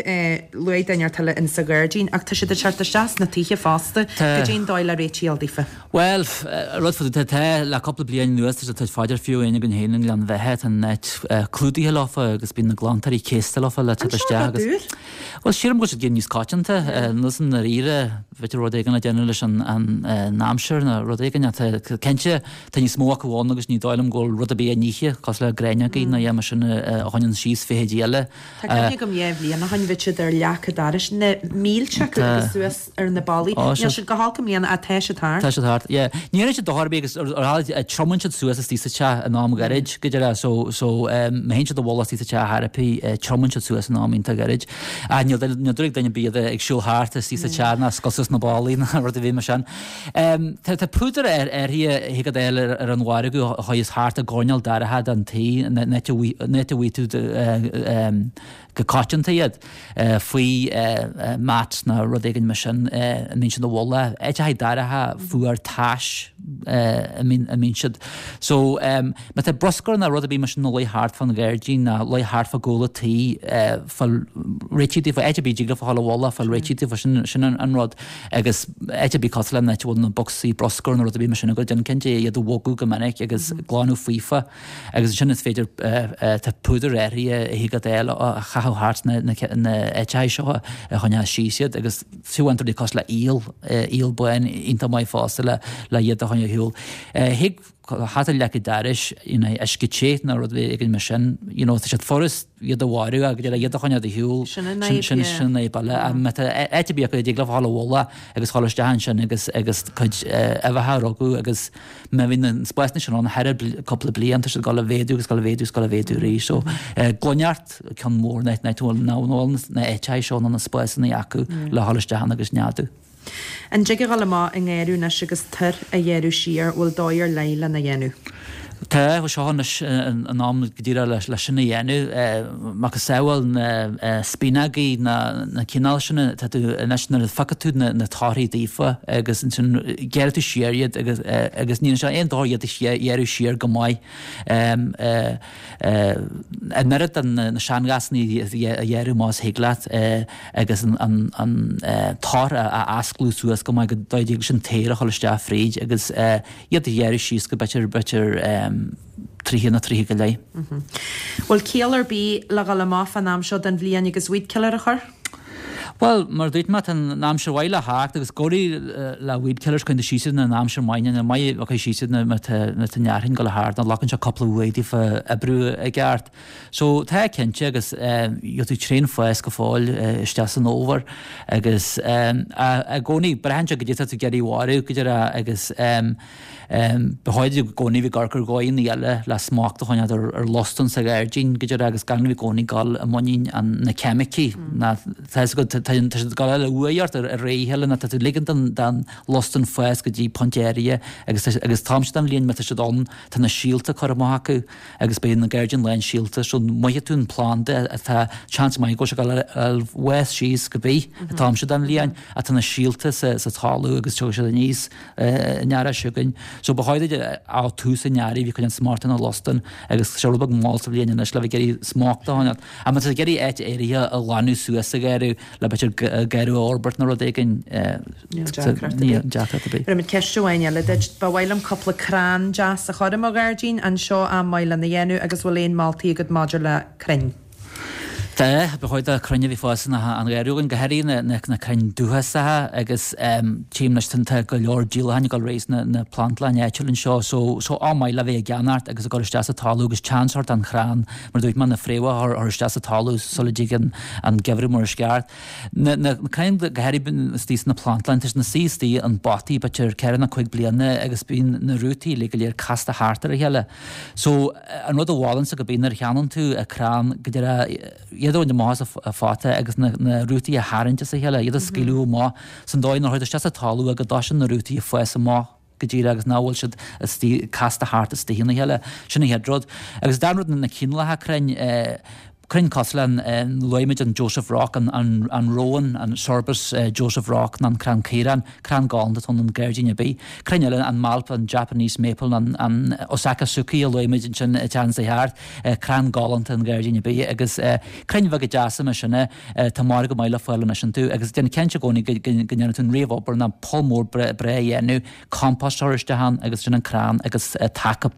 luaigh duine inteacht eile in sa ghairdín ach tá siad ag teacht isteach sna tithe fosta. Tá. Goidé an dóigh le réiteach a fháil daofa. Bhuel, rud fá tá, tá le cúpla bliain anuas tá siad faighte fiú amháin againn féin i nGleann Bheatha, tá an áit clúdaithe leofa agus bíonn na glantóirí céasta leofa le teacht isteach agus. Bhuel, sílim go bhfuil siad ag éirí níos coitianta, níl san ndáiríre, b'fhéidir rud éigin le déanamh leis an an aimsir nó rud éigin ach tá cinnte tá níos mó acu ann agus ní dóigh liom go bhfuil rud ar bith á n-ithe cosúil le gráinneogaí nó bheith mar sin a choinníonn síos feithidí eile. Tá cuimhne agam dhá bhliain ó shin bhí siad ar leac an dorais, na mílte acu agus suas ar na ballaí. Níl siad go holc i mbliana ach tá siad thart. Tá siad thart, yeah. Ní dhéanann siad dochar ar bith agus ar ar triomaíonn siad suas istigh sa teach in am gairid, go deimhin. So so má théann siad i bhfolach istigh sa teach ar chor ar bith, triomaíonn siad suas in am iontach gairid. Ach níl níl dúil ag duine ar bith iad ag siúl thart istigh sa teach ná scoilteadh suas na ballaí ná rud ar bith mar sin. Tá tá púdar ar áirithe a thig leat a fháil ar ar an mhargadh a chuireas thart i gcoirnéal dorcha den tí an áit a bhfaighidh tú go coitianta iad, faoi mat nó rud éigin mar sin a mbíonn siad i bhfolach, áiteacha dorcha fuar tais a mbíonn siad. So má tá bruscar nó rud ar bith mar sin ina luí thart fán ghairdín nó luí thart fá gcúl an tí, fáil réitithe daofa, áit ar bith a dtig leofa a dhul i bhfolach, fáil réitithe daofa, sin sin an rud. Agus áit ar bith cosúil le an áit a bhfuil na bocsaí bruscair nó rud ar bith mar sin agat, déan cinnte iad a bhogadh go minic agus glanadh faofa. Agus ansin is féidir, tá púdar áirithe a thig leat a fháil a chaitheamh thart na áiteacha seo a choinneoidh síos iad agus fiú amháin rudaí cosúil le aol, aol bán iontach maith fosta le le iad a choinneáil ar shiúl. Thig thart ar leac an dorais, you know, uisce te nó rud éigin mar sin, you know, tá siad furast iad a mharú agus iad a choinneáil ar shiúl, Sin an fhadhb, sin yeah. sin an fhadhb eile. Má tá áit ar bith acu a dtig leo a dhul i bhfolach agus dhul isteach ansin agus agus cuid uibheacha a rugadh agus má bhíonn na spásanna sin ann thar cúpla bliain tá siad ag dul a mhéadú agus ag dul a mhéadú agus ag dul a mhéadú arís. So gloineacht ceann mór nach bhfuil na áiteacha seo nó na spásanna acu le dhul isteach ann agus neadú. An dtig a dhul amach i ngarradh anois agus toir a ghearradh siar, bhfuil dóigh ar leith lena dhéanamh? Tá, bhuel seo anois an am go díreach le sin a dhéanamh. Macasamhail na spíonógaí, na cineál sin, tá tú anois nuair a phiocfaidh tú na torthaí daofa agus ansin gearrfaidh tú siar iad agus agus ní sé aon dochar iad a ghearradh siar go maith. An oiread de na seanghasanna a ghearradh más thig leat agus an an tor a osclú suas go maith go dtig leis an t-aer a dhul isteach fríd agus iad a ghearradh síos go b'fhéidir b'fhéidir tríocha nó tríocha go leith. Bhfuil ciall ar bith le dhul amach fán am seo den bhliain agus weed killer a chur? Bhuel, mar a dúirt mé, tá an aimsir mhaith le theacht agus go háirithe le weed killers cuireann tú síos iad in aimsir mhaith, ní maith a chur síos iad má tá an fhearthainn ag dul thart nó glacann sé cúpla uair daofa oibriú i gceart. So tá cinnte agus gheobhaidh tú tréan fás go fóill isteach san fhómhar agus i gcónaí braitheann sé goidé tá tú ag iarraidh a mharú go díreach agus ba chóir i gcónaí bheith ag amharc ar dhóigheanna eile le smacht a choinneáil ar ar lostan sa ghairdín go díreach agus gan bheith i gcónaí ag dul i muinín an na ceimicí ná tá fhios agat tá tá siad ag dul a uaidh ort ar ar aghaidh a chéile ná tá tú ag ligean don don lostan fás go dtí pointe áirithe agus tá agus an t-am seo den bhliain má tá siad ann tá na síolta curtha amach acu agus beidh na gairdín lán síolta so mothaíonn tú an planda atá seans maith go bhfuil sé ag dul a bhfás síos go bith an t-am seo den bhliain ach tá na síolta sa sa talamh agus tiocfaidh siad aníos an earrach seo chugainn. So ba chóir duit á tús an earraigh bheith ag coinneáil smacht ar na lostain agus sé rud beag mall sa bhliain anois le bheith ag iarraidh smacht a choinneáil. Ach má tá tú ag iarraidh áit áirithe a ghlanadh suas sa gheimhreadh le b'fhéidir garradh a fhorbairt nó rud éigin Níl deacracht ar bith. deacracht ar bith. Rinne muid ceist amháin eile duit. Ba mhaith liom cúpla crann deas a chur i mo ghairdín. An seo am maith lena dhéanamh agus bhfuil aon moltaí agat maidir le crainn? Tá, ba chóir do crainn a bheith ag fás in an gharradh againn, go háirithe na, na, na crainn dúchasacha agus tchím anois tá go leor díolacháin ag dul ar aghaidh sna na plandlann áitiúil anseo so, so am maith le bheith ag ceannacht agus ag cur isteach sa talamh agus seans a thabhairt don chrann mar a dúirt mé na fréamhacha a chur isteach sa talamh sula dtig an, an geimhreadh mar is ceart. Na, na crainn go háirithe istigh sna plandlann, tá siad ina suí istigh in bpotaí b'fhéidir ceithre nó cúig bliana agus bíonn na rútaí uilig go léir casta thart ar a chéile. So an rud a mholfainnse go bíonn nuair a cheannaíonn tú crann go deireadh iad a bhaint amach as an phota agus na na rútaí a tharraingt as a chéile, iad a scaoileadh amach san dóigh nuair a chuir tú isteach sa talamh é go dtosaíonn na rútaí ag fás amach go díreach agus nach bhfuil siad istigh casta thart istigh ina chéile. Sin an chéad rud. Agus an dara rud na cineálacha crainn, crainn cosúil le an, luaigh muid an Joseph Rock, an an an rowan, an Sorbus Joseph Rock nó an crann caorán, crann galánta atá ann i ngairdín ar bith. Crainn eile, an mailp, an Japanese maple, an an Osakazuki a luaigh muid ansin an tseachtain seo thart, crann galánta i ngairdín ar bith agus crainn bheaga deasa mar sin tá margadh maith le fáil anois iontu agus déan cinnte i gcónaí go ndéanann tú an réamhobair ná poll mór breá a dhéanamh, compost a chur isteach ann agus sin an crann agus taca,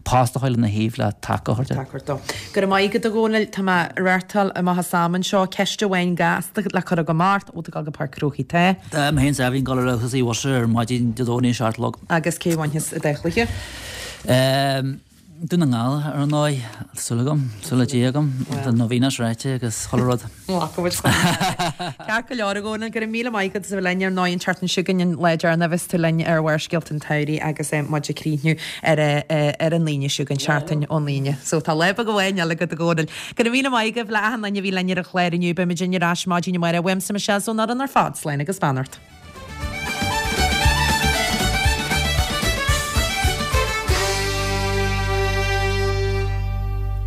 post a chur lena thaobh le taca a chur de. Taca dó. Go raibh maith agat a Dhónaill, tá mé ag reáchtáil amach as am anseo. Ceist amháin gasta le cur agam ort, bhfuil tú ag dul go Páirc an Chrócaigh? Tá. Tá mé féin is Eibhlín ag dul ar a thosaigh bhus ar maidin Dé Domhnaigh a seacht a chlog. Agus cé a bhainfeas an dá chluiche? Ehm. Dún na nGall ar ndóigh, súil agam, súil le Dia agam, tá novenas ráite agus chuile rud. Ceart go leor a Dhónaill, go raibh míle maith agat as a bheith linn ar ndóigh an tseachtain seo chugainn an lá deireanach a bheas tú linn ar Bharrscéalta an tSamhraidh agus muid ag críochnú ar ar an Aoine seo chugainn, seachtain ón Aoine. So tá lá beag amháin eile agat a Dhónaill. Go raibh míle maith agaibh le achan duine a bhí linn ar an chlár inniu, beidh muid ar ais maidin amárach. Uaimse Michelle 's ón fhoireann ar fad, slán agus beannacht.